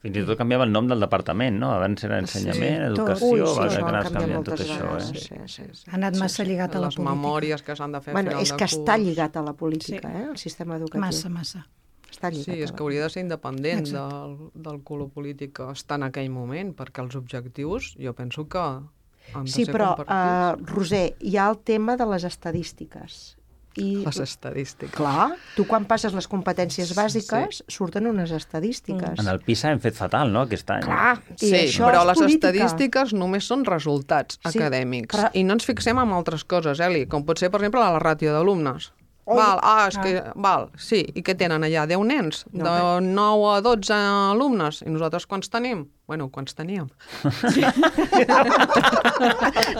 [SPEAKER 3] Fins i tot canviava el nom del departament, no? Abans era ensenyament, sí, educació,
[SPEAKER 18] Ui, sí,
[SPEAKER 3] va
[SPEAKER 18] això
[SPEAKER 3] anar
[SPEAKER 18] canviant
[SPEAKER 3] canviant tot
[SPEAKER 18] vegades,
[SPEAKER 3] això, eh?
[SPEAKER 18] Sí, sí, sí.
[SPEAKER 20] Ha anat massa lligat a la
[SPEAKER 19] Les
[SPEAKER 20] política.
[SPEAKER 19] Les memòries que s'han de fer
[SPEAKER 18] bueno,
[SPEAKER 19] a final
[SPEAKER 18] és que
[SPEAKER 19] de curs.
[SPEAKER 18] està lligat a la política, sí. eh? El sistema educatiu.
[SPEAKER 20] Massa, massa.
[SPEAKER 18] Està lligat.
[SPEAKER 19] Sí, és que hauria de ser independent del, del color polític que està en aquell moment, perquè els objectius, jo penso que han de
[SPEAKER 18] sí,
[SPEAKER 19] ser
[SPEAKER 18] però,
[SPEAKER 19] compartits.
[SPEAKER 18] Uh, Roser, hi ha el tema de les estadístiques. I,
[SPEAKER 19] les estadístiques.
[SPEAKER 18] Clar, tu quan passes les competències bàsiques sí. surten unes estadístiques.
[SPEAKER 3] En el PISA hem fet fatal, no?, aquest any.
[SPEAKER 18] Clar, i
[SPEAKER 19] sí,
[SPEAKER 18] això
[SPEAKER 19] però
[SPEAKER 18] és
[SPEAKER 19] les
[SPEAKER 18] política.
[SPEAKER 19] estadístiques només són resultats sí, acadèmics. Però... I no ens fixem en altres coses, Eli, com pot ser, per exemple, la ràtio d'alumnes. Val, ah, és que, ah. val, sí, i què tenen allà? deu nens? No, de nou a dotze alumnes? I nosaltres quants tenim? Bueno, quants teníem?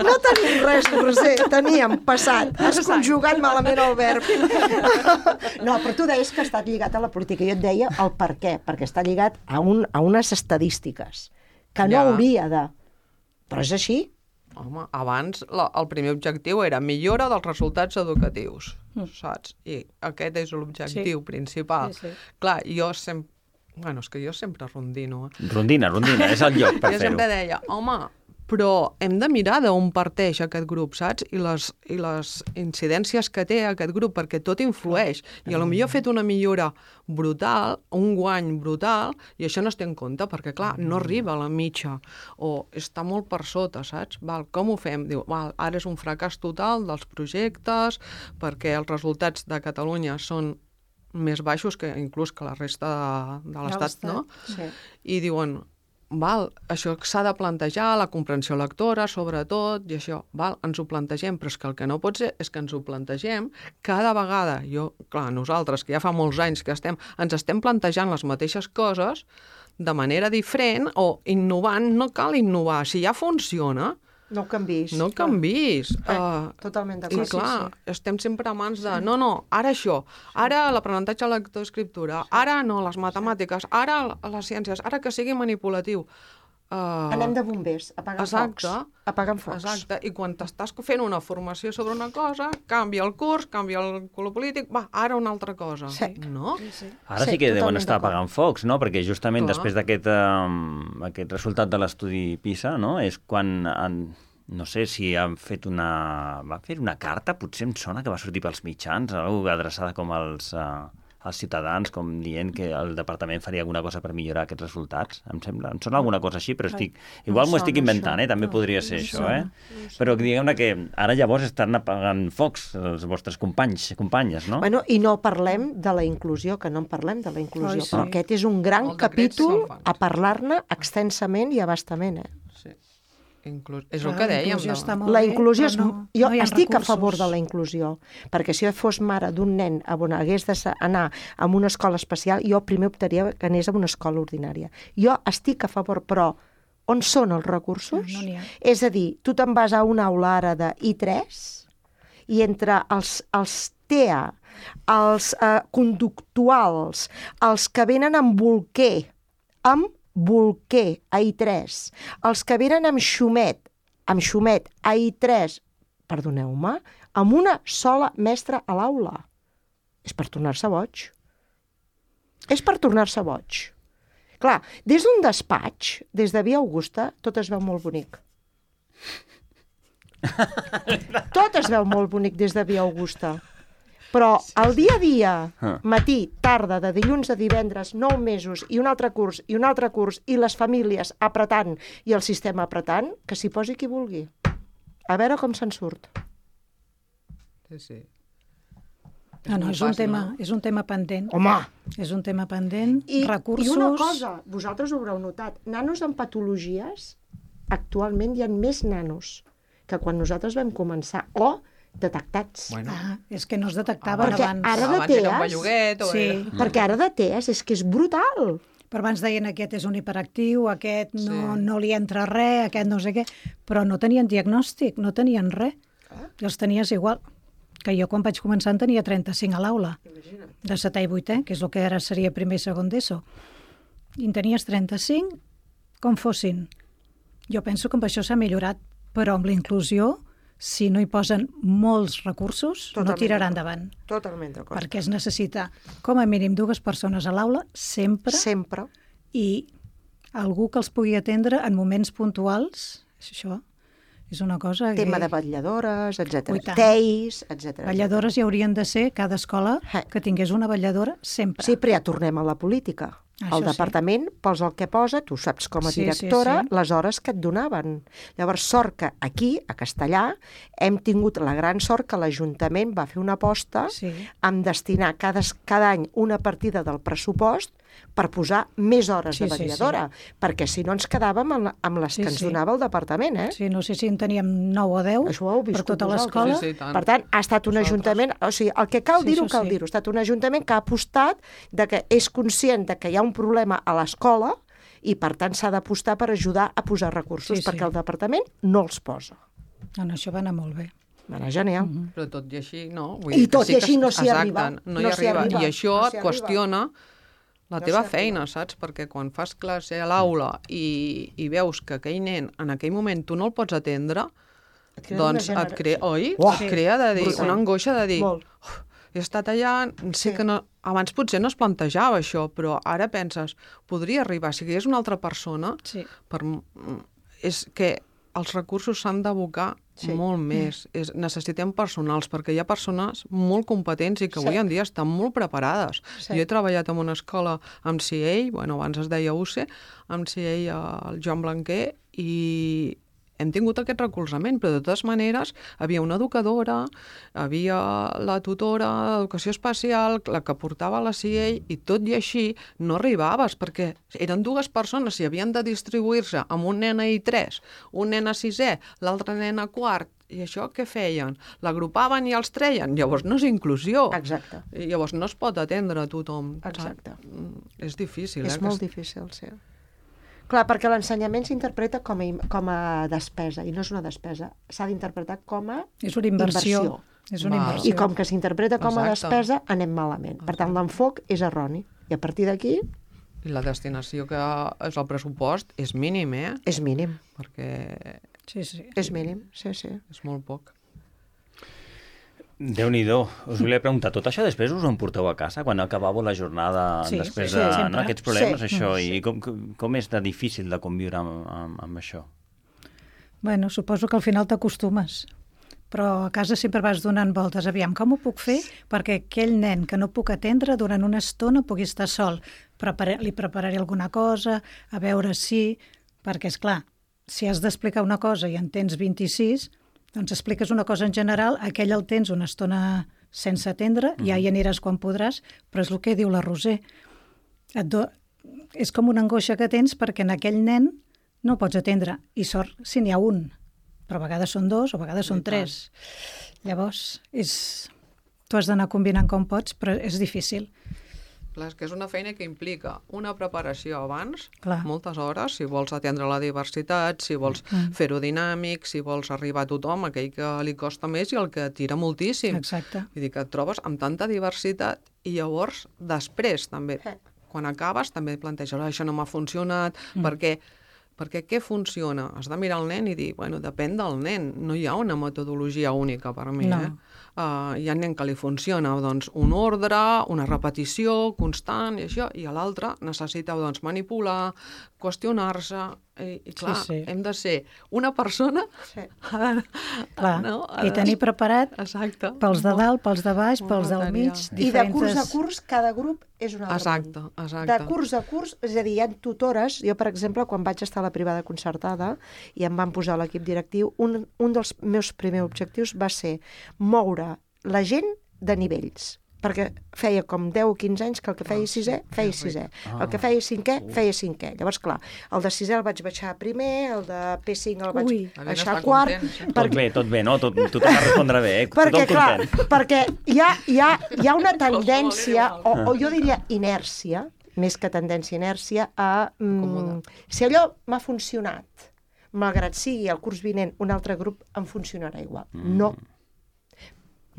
[SPEAKER 18] No tenim res, Roser, teníem passat. Has conjugat malament el verb. No, però tu deies que ha estat lligat a la política. Jo et deia el per què, perquè està lligat a, un, a unes estadístiques, que no ja. hauria de... Però és així.
[SPEAKER 19] Home, abans la, el primer objectiu era millora dels resultats educatius, mm. saps? I aquest és l'objectiu sí. principal. Sí, sí. Clar, jo sempre... Bueno, és que jo sempre rondino. Eh?
[SPEAKER 3] Rondina, rondina, és el lloc per fer-ho.
[SPEAKER 19] Jo sempre deia, home, però hem de mirar d'on parteix aquest grup, saps? I les, i les incidències que té aquest grup, perquè tot influeix. I a lo millor ha fet una millora brutal, un guany brutal, i això no es té en compte, perquè, clar, no arriba a la mitja, o està molt per sota, saps? Val, com ho fem? Diu, val, ara és un fracàs total dels projectes, perquè els resultats de Catalunya són més baixos que inclús que la resta de, de l'Estat, no?
[SPEAKER 18] Sí.
[SPEAKER 19] I diuen, val, això s'ha de plantejar, la comprensió lectora, sobretot, i això, val, ens ho plantegem, però és que el que no pot ser és que ens ho plantegem cada vegada. Jo, clar, nosaltres, que ja fa molts anys que estem, ens estem plantejant les mateixes coses de manera diferent o innovant, no cal innovar. Si ja funciona,
[SPEAKER 18] no ho canvis.
[SPEAKER 19] No ho canvis.
[SPEAKER 18] Eh,
[SPEAKER 19] uh,
[SPEAKER 18] totalment
[SPEAKER 19] I
[SPEAKER 18] d'acord.
[SPEAKER 19] clar,
[SPEAKER 18] Sí, sí.
[SPEAKER 19] estem sempre a mans de, no, no, ara això, ara l'aprenentatge de lectoescriptura, ara no, les matemàtiques, ara les ciències, ara que sigui manipulatiu. Uh,
[SPEAKER 18] Anem de bombers, apagant
[SPEAKER 19] exacte,
[SPEAKER 18] focs. Apagant focs.
[SPEAKER 19] Exacte, i quan t'estàs fent una formació sobre una cosa, canvia el curs, canvia el color polític, va, ara una altra cosa.
[SPEAKER 18] Sí.
[SPEAKER 19] No?
[SPEAKER 18] Sí, sí.
[SPEAKER 3] Ara sí,
[SPEAKER 18] Sí,
[SPEAKER 3] que deuen
[SPEAKER 18] totalment
[SPEAKER 3] estar
[SPEAKER 18] d'acord.
[SPEAKER 3] apagant focs, no? Perquè justament
[SPEAKER 19] Clar.
[SPEAKER 3] després d'aquest um, aquest resultat de l'estudi PISA, no? És quan han, no sé si han fet una... Va fer una carta, potser em sona que va sortir pels mitjans, alguna adreçada com als, uh, als ciutadans, com dient que el departament faria alguna cosa per millorar aquests resultats. Em sembla, em sona alguna cosa així, però estic... Igual m'ho estic inventant, eh? També podria ser això, eh? Però diguem-ne que ara llavors estan apagant focs els vostres companys, companyes, no?
[SPEAKER 18] Bueno, i no parlem de la inclusió, que no en parlem de la inclusió.
[SPEAKER 19] Ai, sí.
[SPEAKER 18] Però aquest és un gran
[SPEAKER 19] El decret
[SPEAKER 18] capítol
[SPEAKER 19] se'l fan.
[SPEAKER 18] a parlar-ne extensament i abastament, eh?
[SPEAKER 19] Sí. Inclús, és el que dèiem. No?
[SPEAKER 18] La inclusió és...
[SPEAKER 20] no-
[SPEAKER 18] jo
[SPEAKER 20] no hi ha
[SPEAKER 18] estic a
[SPEAKER 20] recursos.
[SPEAKER 18] favor de la inclusió, perquè si jo fos mare d'un nen on hagués d'anar a una escola especial, jo primer optaria que anés a una escola ordinària. Jo estic a favor, però on són els recursos?
[SPEAKER 20] No n'hi ha.
[SPEAKER 18] És a dir, tu te'n vas a una aula ara de I tres i entre els, els T E A, els eh, conductuals, els que venen amb bolquer, amb bolquer a I tres, els que venen amb xumet, amb xumet a I tres, perdoneu-me, amb una sola mestra a l'aula. És per tornar-se boig. És per tornar-se boig. Clar, des d'un despatx, des de Via Augusta, tot es veu molt bonic. Tot es veu molt bonic des de Via Augusta. Però el dia a dia, matí, tarda, de dilluns a divendres, nou mesos, i un altre curs, i un altre curs, i les famílies apretant, i el sistema apretant, que s'hi posi qui vulgui. A veure com se'n surt.
[SPEAKER 19] Sí, sí.
[SPEAKER 20] No, no, és un, tema, és un tema pendent.
[SPEAKER 18] Home!
[SPEAKER 20] És un tema pendent,
[SPEAKER 18] I,
[SPEAKER 20] recursos...
[SPEAKER 18] I una cosa, vosaltres ho haureu notat, nanos amb patologies, actualment hi ha més nanos que quan nosaltres vam començar, o detectats.
[SPEAKER 19] Bueno.
[SPEAKER 20] Ah, és que no es detectaven
[SPEAKER 18] perquè
[SPEAKER 20] abans.
[SPEAKER 18] ara de
[SPEAKER 19] Abans era un
[SPEAKER 18] T E A S,
[SPEAKER 19] belluguet o
[SPEAKER 20] Sí.
[SPEAKER 19] era...
[SPEAKER 18] perquè ara de T E A S és que és brutal.
[SPEAKER 20] Però abans deien aquest és un hiperactiu, aquest no, no li entra res, aquest no sé què, però no tenien diagnòstic, no tenien res. I els tenies igual. Que jo quan vaig començar en tenia trenta-cinc a l'aula, de setè i vuitè, que és el que ara seria primer i segon d'ESO. I en tenies trenta-cinc com fossin. Jo penso que amb això s'ha millorat, però amb la inclusió, si no hi posen molts recursos,
[SPEAKER 18] Totalment
[SPEAKER 20] no tirarà
[SPEAKER 18] d'acord.
[SPEAKER 20] endavant.
[SPEAKER 18] Totalment d'acord.
[SPEAKER 20] Perquè es necessita com a mínim dues persones a l'aula, sempre,
[SPEAKER 18] Sempre.
[SPEAKER 20] i algú que els pugui atendre en moments puntuals, és això, és una cosa que...
[SPEAKER 18] Tema de vetlladores, etcètera.
[SPEAKER 20] Ui, tant.
[SPEAKER 18] Teis, etcètera.
[SPEAKER 20] Vetlladores hi haurien de ser cada escola que tingués una vetlladora sempre.
[SPEAKER 18] Sí, però ja tornem a la política.
[SPEAKER 20] Això
[SPEAKER 18] el
[SPEAKER 20] sí.
[SPEAKER 18] departament posa el que posa, tu saps com a
[SPEAKER 20] Sí, sí,
[SPEAKER 18] directora,
[SPEAKER 20] sí.
[SPEAKER 18] les hores que et donaven. Llavors, sort que aquí, a Castellà, hem tingut la gran sort que l'Ajuntament va fer una aposta
[SPEAKER 20] Sí.
[SPEAKER 18] amb destinar cada, cada any una partida del pressupost per posar més hores
[SPEAKER 20] Sí,
[SPEAKER 18] de
[SPEAKER 20] sí,
[SPEAKER 18] vetlladora, perquè si no ens quedàvem amb, la, amb les
[SPEAKER 20] Sí,
[SPEAKER 18] que ens
[SPEAKER 20] sí.
[SPEAKER 18] donava el departament, eh?
[SPEAKER 20] Sí, no sé si en teníem nou o deu
[SPEAKER 18] Això ho heu
[SPEAKER 20] per
[SPEAKER 18] viscut
[SPEAKER 20] tota
[SPEAKER 18] vosaltres.
[SPEAKER 20] l'escola.
[SPEAKER 19] Sí, sí, tant.
[SPEAKER 18] Per tant, ha estat un ajuntament, o sigui, el que cal
[SPEAKER 20] Sí,
[SPEAKER 18] dir-ho,
[SPEAKER 20] això
[SPEAKER 18] cal
[SPEAKER 20] sí.
[SPEAKER 18] dir-ho, ha estat un ajuntament que ha apostat de que és conscient de que hi ha un problema a l'escola i, per tant, s'ha d'apostar per ajudar a posar recursos,
[SPEAKER 20] Sí, sí.
[SPEAKER 18] perquè el departament no els posa.
[SPEAKER 20] No, no, això va anar molt bé.
[SPEAKER 18] Va anar genial.
[SPEAKER 20] Mhm.
[SPEAKER 19] Però tot i així, no. Vull
[SPEAKER 18] I
[SPEAKER 19] dir que
[SPEAKER 18] tot
[SPEAKER 19] sí
[SPEAKER 18] i
[SPEAKER 19] que-
[SPEAKER 18] així no s'hi
[SPEAKER 19] exacte,
[SPEAKER 18] arriba.
[SPEAKER 19] No hi
[SPEAKER 18] No s'hi
[SPEAKER 19] arriba.
[SPEAKER 18] arriba.
[SPEAKER 19] I això
[SPEAKER 18] No
[SPEAKER 19] et
[SPEAKER 18] s'hi arriba.
[SPEAKER 19] qüestiona la
[SPEAKER 18] No
[SPEAKER 19] teva
[SPEAKER 18] s'hi
[SPEAKER 19] feina, saps? Perquè quan fas classe a l'aula i, i veus que aquell nen en aquell moment tu no el pots atendre,
[SPEAKER 18] crea
[SPEAKER 19] doncs
[SPEAKER 18] una
[SPEAKER 19] et crea, oi?
[SPEAKER 18] Uah,
[SPEAKER 19] et crea de dir,
[SPEAKER 18] brutal.
[SPEAKER 19] una angoixa de dir,
[SPEAKER 18] Molt.
[SPEAKER 19] "Uf, he estat allà, sé que no... Abans potser no es plantejava això, però ara penses, podria arribar, si hi hagués una altra persona,
[SPEAKER 20] Sí.
[SPEAKER 19] per, és que els recursos s'han d'abocar
[SPEAKER 18] Sí.
[SPEAKER 19] molt més. És, necessitem personals, perquè hi ha persones molt competents i que
[SPEAKER 18] Sí.
[SPEAKER 19] avui en dia estan molt preparades.
[SPEAKER 18] Sí.
[SPEAKER 19] Jo he treballat en una escola amb C A, bueno, abans es deia U C, amb C A al Joan Blanquer, i hem tingut aquest recolzament, però de totes maneres havia una educadora, havia la tutora d'educació especial, la que portava la C A, i tot i així no arribaves, perquè eren dues persones i havien de distribuir-se amb un nen a I tres, un nen a sisè, l'altre nen a quart, i això què feien? L'agrupaven i els treien? Llavors no és inclusió.
[SPEAKER 18] Exacte.
[SPEAKER 19] I llavors no es pot atendre a tothom.
[SPEAKER 18] Exacte.
[SPEAKER 19] Mm, És difícil.
[SPEAKER 18] És
[SPEAKER 19] eh?
[SPEAKER 18] molt
[SPEAKER 19] que-
[SPEAKER 18] difícil, sí. Clar, perquè l'ensenyament s'interpreta com a, im- com a despesa, i no és una despesa, s'ha d'interpretar com a
[SPEAKER 20] És una inversió. És una
[SPEAKER 18] Val.
[SPEAKER 20] inversió.
[SPEAKER 18] I com que s'interpreta com a
[SPEAKER 19] Exacte.
[SPEAKER 18] despesa, anem malament. Per tant, l'enfoc és erroni. I a partir d'aquí
[SPEAKER 19] I la destinació que és el pressupost és mínim, eh?
[SPEAKER 18] és mínim.
[SPEAKER 19] Perquè
[SPEAKER 20] Sí, sí.
[SPEAKER 18] És mínim, sí, sí.
[SPEAKER 19] és molt poc.
[SPEAKER 3] Déu-n'hi-do. Us volia preguntar, tot això després us ho emporteu a casa, quan acabàveu la jornada,
[SPEAKER 20] Sí,
[SPEAKER 3] després
[SPEAKER 20] sí,
[SPEAKER 3] de
[SPEAKER 20] sempre.
[SPEAKER 3] no, aquests problemes,
[SPEAKER 18] Sí.
[SPEAKER 3] això,
[SPEAKER 18] Sí.
[SPEAKER 3] i com, com és de difícil de conviure amb, amb, amb això?
[SPEAKER 20] Bueno, suposo que al final t'acostumes. Però a casa sempre vas donant voltes. Aviam, com ho puc fer perquè aquell nen que no puc atendre durant una estona pugui estar sol? Prepara, li prepararé alguna cosa, a veure si... Perquè, és clar, si has d'explicar una cosa i en tens vint-i-sis, doncs expliques una cosa en general, aquell el tens una estona sense atendre, ja hi aniràs quan podràs, però és el que diu la Roser. Et do... És com una angoixa que tens perquè en aquell nen no el pots atendre. I sort si n'hi ha un, però a vegades són dos o a vegades són tres. Llavors, és... tu has d'anar combinant com pots, però és difícil.
[SPEAKER 19] Clar, és que és una feina que implica una preparació abans,
[SPEAKER 20] Clar.
[SPEAKER 19] moltes hores, si vols atendre la diversitat, si vols
[SPEAKER 20] Mm.
[SPEAKER 19] fer-ho dinàmic, si vols arribar a tothom, aquell que li costa més i el que tira moltíssim.
[SPEAKER 20] Exacte.
[SPEAKER 19] Vull dir que et trobes amb tanta diversitat i llavors, després, també, quan acabes, també planteges, "Ah, això no m'ha funcionat,
[SPEAKER 20] Mm.
[SPEAKER 19] perquè perquè què funciona? Has de mirar el nen i dir, bueno, depèn del nen, no hi ha una metodologia única per mi,
[SPEAKER 20] No.
[SPEAKER 19] eh? Uh, hi ha nen que li funciona doncs, un ordre, una repetició constant i això, i a l'altre necessita doncs, manipular, qüestionar-se, i, i clar,
[SPEAKER 20] Sí, sí.
[SPEAKER 19] hem de ser una persona
[SPEAKER 18] Sí.
[SPEAKER 20] Clar,
[SPEAKER 19] no?
[SPEAKER 20] i tenir preparat
[SPEAKER 19] Exacte.
[SPEAKER 20] pels de dalt, pels de baix,
[SPEAKER 19] Molt
[SPEAKER 20] pels del
[SPEAKER 19] material.
[SPEAKER 20] mig,
[SPEAKER 18] I de curs a
[SPEAKER 20] diferents...
[SPEAKER 18] curs, cada grup és un altre
[SPEAKER 19] Exacte,
[SPEAKER 18] món.
[SPEAKER 19] exacte.
[SPEAKER 18] De curs a curs, és a dir, hi ha tutores. Jo, per exemple, quan vaig estar a la privada concertada i em van posar a l'equip directiu, un, un dels meus primers objectius va ser moure la gent de nivells, perquè feia com deu o quinze anys que el que feia sisè, feia sisè. El que feia cinquè, feia cinquè. Llavors, clar, el de sisè el vaig baixar primer, el de P cinc el vaig
[SPEAKER 20] Ui.
[SPEAKER 18] baixar a quart...
[SPEAKER 3] Tot bé, tot bé, no? Tot, tothom va respondre bé, eh?
[SPEAKER 18] Perquè,
[SPEAKER 3] Tothom
[SPEAKER 18] clar,
[SPEAKER 3] content.
[SPEAKER 18] perquè hi ha, hi ha, hi ha una tendència, o, o jo diria inèrcia, més que tendència inèrcia, a... Mm, si allò m'ha funcionat, malgrat sigui el curs vinent un altre grup, em funcionarà igual.
[SPEAKER 3] Mm.
[SPEAKER 18] No.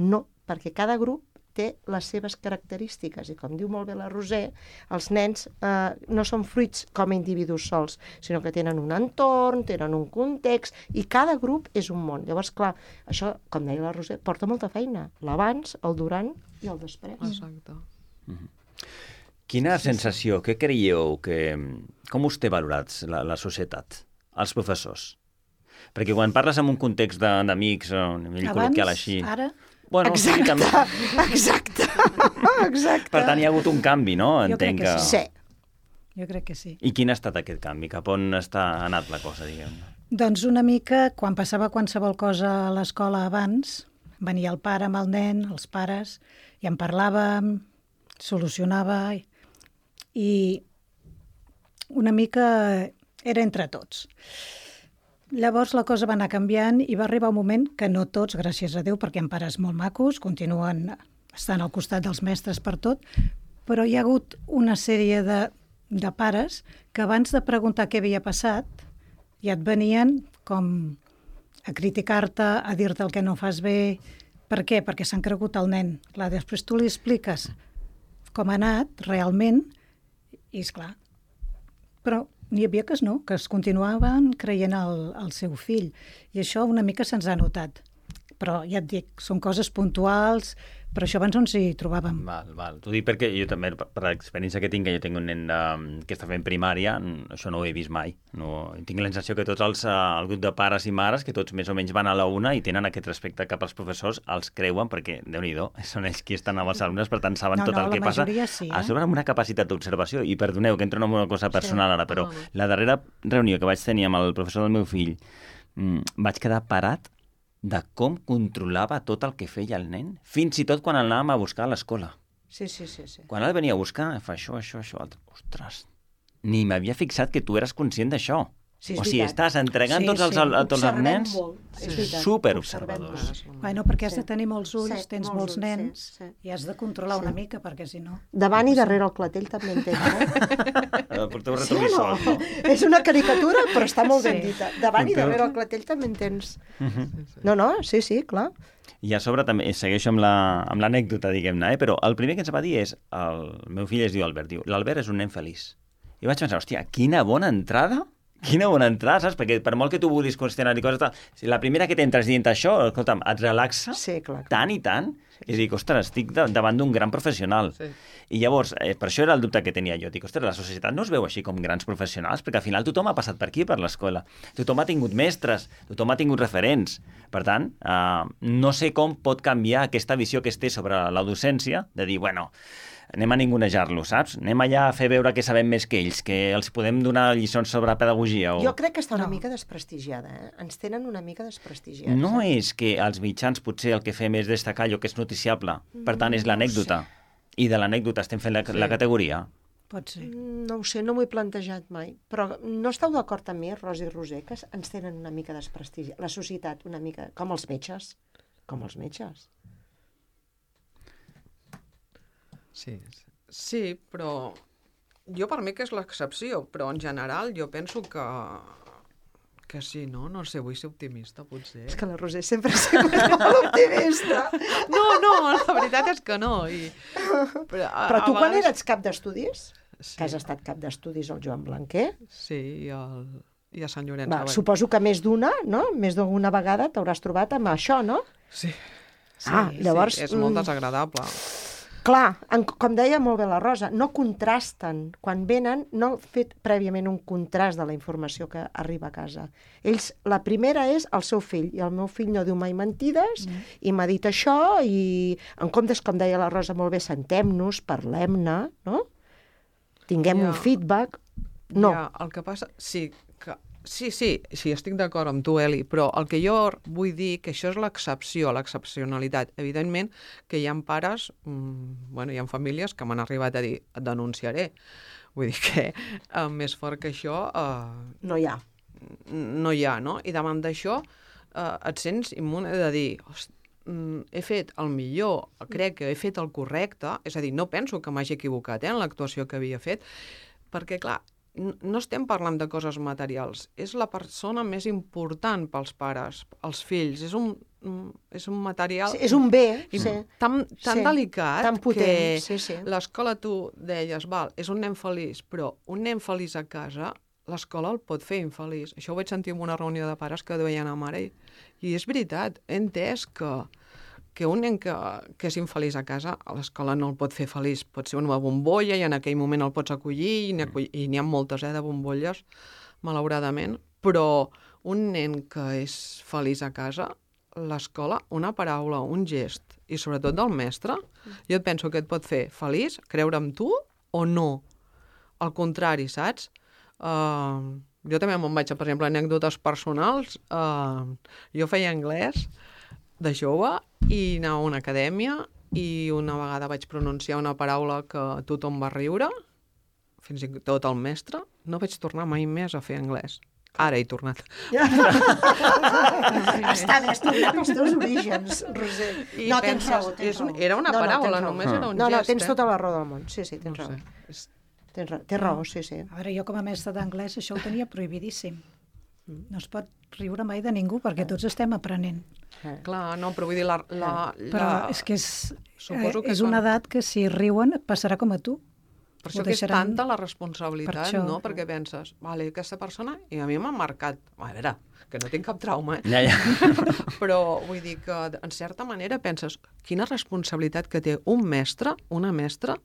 [SPEAKER 18] No, perquè cada grup té les seves característiques i, com diu molt bé la Roser, els nens eh, no són fruits com a individus sols, sinó que tenen un entorn, tenen un context, i cada grup és un món. Llavors, clar, això, com deia la Roser, porta molta feina. L'abans, el durant i el després.
[SPEAKER 19] Exacte.
[SPEAKER 3] Quina sensació, què creieu, que, com us té valorats la, la societat, els professors? Perquè quan parles en un context de- d'amics, o a nivell col·loquial així...
[SPEAKER 20] ara...
[SPEAKER 3] Bueno, sí,
[SPEAKER 18] Exacte,
[SPEAKER 3] també.
[SPEAKER 18] exacte, exacte.
[SPEAKER 3] Per tant, hi ha hagut un canvi, no?
[SPEAKER 20] Jo crec
[SPEAKER 3] Entenc
[SPEAKER 20] que
[SPEAKER 3] que...
[SPEAKER 20] sí. Jo crec que sí.
[SPEAKER 3] I quin ha estat aquest canvi? Cap on està anat la cosa, diguem?
[SPEAKER 20] Doncs una mica, quan passava qualsevol cosa a l'escola abans, venia el pare amb el nen, els pares, i en parlàvem, solucionava, i una mica era entre tots. Llavors la cosa va anar canviant i va arribar un moment que no tots, gràcies a Déu, perquè hi ha pares molt macos, continuen estant al costat dels mestres per tot, però hi ha hagut una sèrie de, de pares que abans de preguntar què havia passat ja et venien com a criticar-te, a dir-te el que no fas bé. Per què? Perquè s'han cregut el nen. Clar, després tu li expliques com ha anat realment i, esclar, però n'hi havia que no, que es continuaven creient el, el seu fill. I això una mica se'ns ha notat. però ja et dic, són coses puntuals, però això abans no ens hi trobàvem.
[SPEAKER 3] Val, val. T'ho dic perquè jo també, per l'experiència que tinc, que jo tinc un nen um, que està fent primària, això no ho he vist mai. No, tinc la sensació que tots els, uh, el grup de pares i mares, que tots més o menys van a la una i tenen aquest respecte cap als professors, els creuen perquè, Déu-n'hi-do, són ells qui estan amb els alumnes, per tant saben
[SPEAKER 20] No,
[SPEAKER 3] tot
[SPEAKER 20] no,
[SPEAKER 3] el que
[SPEAKER 20] la
[SPEAKER 3] passa.
[SPEAKER 20] majoria sí, eh?
[SPEAKER 3] A sobre amb una capacitat d'observació, i perdoneu que entro en una cosa personal
[SPEAKER 20] Sí.
[SPEAKER 3] ara, però
[SPEAKER 20] Ah, no.
[SPEAKER 3] la darrera reunió que vaig tenir amb el professor del meu fill, mm, vaig quedar parat de com controlava tot el que feia el nen, fins i tot quan el anàvem a buscar a l'escola.
[SPEAKER 18] Sí, sí, sí, sí.
[SPEAKER 3] Quan el venia a buscar, fa això, això, això, altre. Ostres, ni m'havia fixat que tu eres conscient d'això.
[SPEAKER 18] Sí, és
[SPEAKER 3] o sigui,
[SPEAKER 18] veritat.
[SPEAKER 3] estàs entregant
[SPEAKER 18] Sí,
[SPEAKER 3] tots els,
[SPEAKER 18] sí.
[SPEAKER 3] a tots els
[SPEAKER 18] Observem
[SPEAKER 3] nens
[SPEAKER 18] molt, és veritat.
[SPEAKER 3] superobservadors.
[SPEAKER 20] Bueno, perquè has de tenir molts ulls,
[SPEAKER 18] Sí,
[SPEAKER 20] tens
[SPEAKER 18] molts
[SPEAKER 20] molts
[SPEAKER 18] ulls,
[SPEAKER 20] nens,
[SPEAKER 18] sí, sí.
[SPEAKER 20] i has de controlar
[SPEAKER 18] Sí.
[SPEAKER 20] una mica, perquè si no...
[SPEAKER 18] Davant i darrere el clatell també en tens, eh?
[SPEAKER 3] Porteu
[SPEAKER 18] Sí o
[SPEAKER 3] retrovisor,
[SPEAKER 18] no? És una caricatura, però està molt ben
[SPEAKER 20] Sí.
[SPEAKER 18] dita. Davant i
[SPEAKER 3] Porteu-
[SPEAKER 18] darrere el clatell també en tens.
[SPEAKER 3] Mhm.
[SPEAKER 18] No, no, sí, sí, clar.
[SPEAKER 3] I a sobre també segueixo amb la- amb l'anècdota, diguem-ne, eh? Però el primer que ens va dir és, el meu fill es diu Albert, diu, l'Albert és un nen feliç. I vaig pensar, hòstia, quina bona entrada, quina bona entrada, saps? Perquè per molt que tu vulguis qüestionar i coses, tal, si la primera que t'entres dient això, escolta'm, et relaxa
[SPEAKER 18] sí, clar, clar.
[SPEAKER 3] tant i tant, i dic, ostres, estic de, davant d'un gran professional.
[SPEAKER 19] Sí.
[SPEAKER 3] I llavors, eh, per això era el dubte que tenia jo. Dic, ostres, la societat no es veu així com grans professionals, perquè al final tothom ha passat per aquí, per l'escola. Tothom ha tingut mestres, tothom ha tingut referents. Per tant, eh, no sé com pot canviar aquesta visió que es té sobre la docència, de dir, bueno, anem a ningunejar-lo, saps? Anem allà a fer veure que sabem més que ells, que els podem donar lliçons sobre pedagogia. O...
[SPEAKER 18] Jo crec que està una mica desprestigiada, eh? Ens tenen una mica desprestigiats.
[SPEAKER 3] No
[SPEAKER 18] eh?
[SPEAKER 3] és que els mitjans potser el que fem és destacar allò que és noticiable. Per tant, és l'anècdota. I de l'anècdota estem fent la,
[SPEAKER 18] Sí.
[SPEAKER 3] la categoria.
[SPEAKER 20] Pot ser.
[SPEAKER 18] No ho sé, no m'ho he plantejat mai. Però no esteu d'acord amb mi, Rosa i Roser, que ens tenen una mica desprestigi. La societat una mica... Com els metges. Com els metges.
[SPEAKER 19] Sí, sí, però jo per mi que és l'excepció, però en general jo penso que que sí, no? No sé, vull ser optimista, potser.
[SPEAKER 18] És que la Roser sempre ha sigut molt optimista.
[SPEAKER 19] No, no, la veritat és que no. I... Però, a,
[SPEAKER 18] Però tu
[SPEAKER 19] a
[SPEAKER 18] quan
[SPEAKER 19] vegades...
[SPEAKER 18] eres cap d'estudis, sí. que has estat cap d'estudis al Joan Blanquer,
[SPEAKER 19] Sí, i, el... i a Sant Llorenç
[SPEAKER 18] va,
[SPEAKER 19] Savall.
[SPEAKER 18] suposo que més d'una, no? Més d'alguna vegada t'hauràs trobat amb això, no?
[SPEAKER 19] Sí.
[SPEAKER 18] Ah,
[SPEAKER 19] Sí,
[SPEAKER 18] llavors...
[SPEAKER 19] sí, és molt
[SPEAKER 18] mm,
[SPEAKER 19] desagradable.
[SPEAKER 18] Clar, en, com deia molt bé la Rosa, no contrasten. Quan venen, no han fet prèviament un contrast de la informació que arriba a casa. Ells, la primera és el seu fill, i el meu fill no diu mai mentides, mm. i m'ha dit això, i en comptes, com deia la Rosa molt bé, sentem-nos, parlem-ne, no? Tinguem
[SPEAKER 19] Ja.
[SPEAKER 18] un feedback. No.
[SPEAKER 19] Ja, el que passa... Sí, que... sí, sí, sí, estic d'acord amb tu, Eli, però el que jo vull dir que això és l'excepció, l'excepcionalitat. Evidentment que hi ha pares, mmm, bueno, hi ha famílies que m'han arribat a dir et denunciaré. Vull dir que eh, més fort que això... Eh,
[SPEAKER 18] no hi ha.
[SPEAKER 19] No hi ha, no? I davant d'això eh, et sents immune de dir... Host, mm, he fet el millor, crec que he fet el correcte, és a dir, no penso que m'hagi equivocat eh, en l'actuació que havia fet, perquè, clar, no estem parlant de coses materials, és la persona més important pels pares, els fills, és un, és un material...
[SPEAKER 18] Sí, és un bé,
[SPEAKER 19] i
[SPEAKER 18] sí.
[SPEAKER 19] Tan, tan
[SPEAKER 18] Sí,
[SPEAKER 19] delicat
[SPEAKER 18] tan potent,
[SPEAKER 19] que
[SPEAKER 18] sí, sí.
[SPEAKER 19] l'escola, tu deies, val, és un nen feliç, però un nen feliç a casa, l'escola el pot fer infeliç. Això ho vaig sentir en una reunió de pares que deien a mare, i és veritat, he entès que que un nen que, que és infeliç a casa, a l'escola no el pot fer feliç. Pot ser una bombolla i en aquell moment el pots acollir, i n'hi ha moltes, eh, de bombolles, malauradament, però un nen que és feliç a casa, l'escola, una paraula, un gest, i sobretot del mestre, jo et penso que et pot fer feliç, creure en tu o no. Al contrari, saps? Uh, jo també me'n vaig a, per exemple, anècdotes personals. Uh, jo feia anglès de jove i anava a una acadèmia i una vegada vaig pronunciar una paraula que tothom va riure, fins i tot el mestre. No vaig tornar mai més a fer anglès. Ara he tornat.
[SPEAKER 18] Està bé, has tornat als teus orígens, Roser.
[SPEAKER 19] I
[SPEAKER 18] No, tens
[SPEAKER 19] penses,
[SPEAKER 18] raó, tens
[SPEAKER 19] és un-
[SPEAKER 18] raó.
[SPEAKER 19] era una
[SPEAKER 18] No, no,
[SPEAKER 19] paraula,
[SPEAKER 18] tens raó.
[SPEAKER 19] només era un
[SPEAKER 18] No, no,
[SPEAKER 19] gest,
[SPEAKER 18] tens
[SPEAKER 19] eh?
[SPEAKER 18] tota la raó del món. Sí, sí, tens
[SPEAKER 19] No
[SPEAKER 18] raó.
[SPEAKER 19] sé, és-
[SPEAKER 18] Tens raó, té raó, sí, sí.
[SPEAKER 20] A veure, jo com a mestre d'anglès això ho tenia prohibidíssim. No es pot riure mai de ningú perquè tots estem aprenent.
[SPEAKER 19] Clar, no, però vull dir, la... la,
[SPEAKER 20] Però
[SPEAKER 19] la...
[SPEAKER 20] és que és,
[SPEAKER 19] Suposo
[SPEAKER 20] eh,
[SPEAKER 19] que
[SPEAKER 20] és una
[SPEAKER 19] quan-
[SPEAKER 20] edat que si riuen et passarà com a tu.
[SPEAKER 19] Per això que és tanta la responsabilitat, no? Perquè penses, vale, aquesta persona, i a mi m'ha marcat, a veure, que no tinc cap trauma, eh?
[SPEAKER 3] Ja, ja.
[SPEAKER 19] Però vull dir que, en certa manera, penses, quina responsabilitat que té un mestre, una mestra,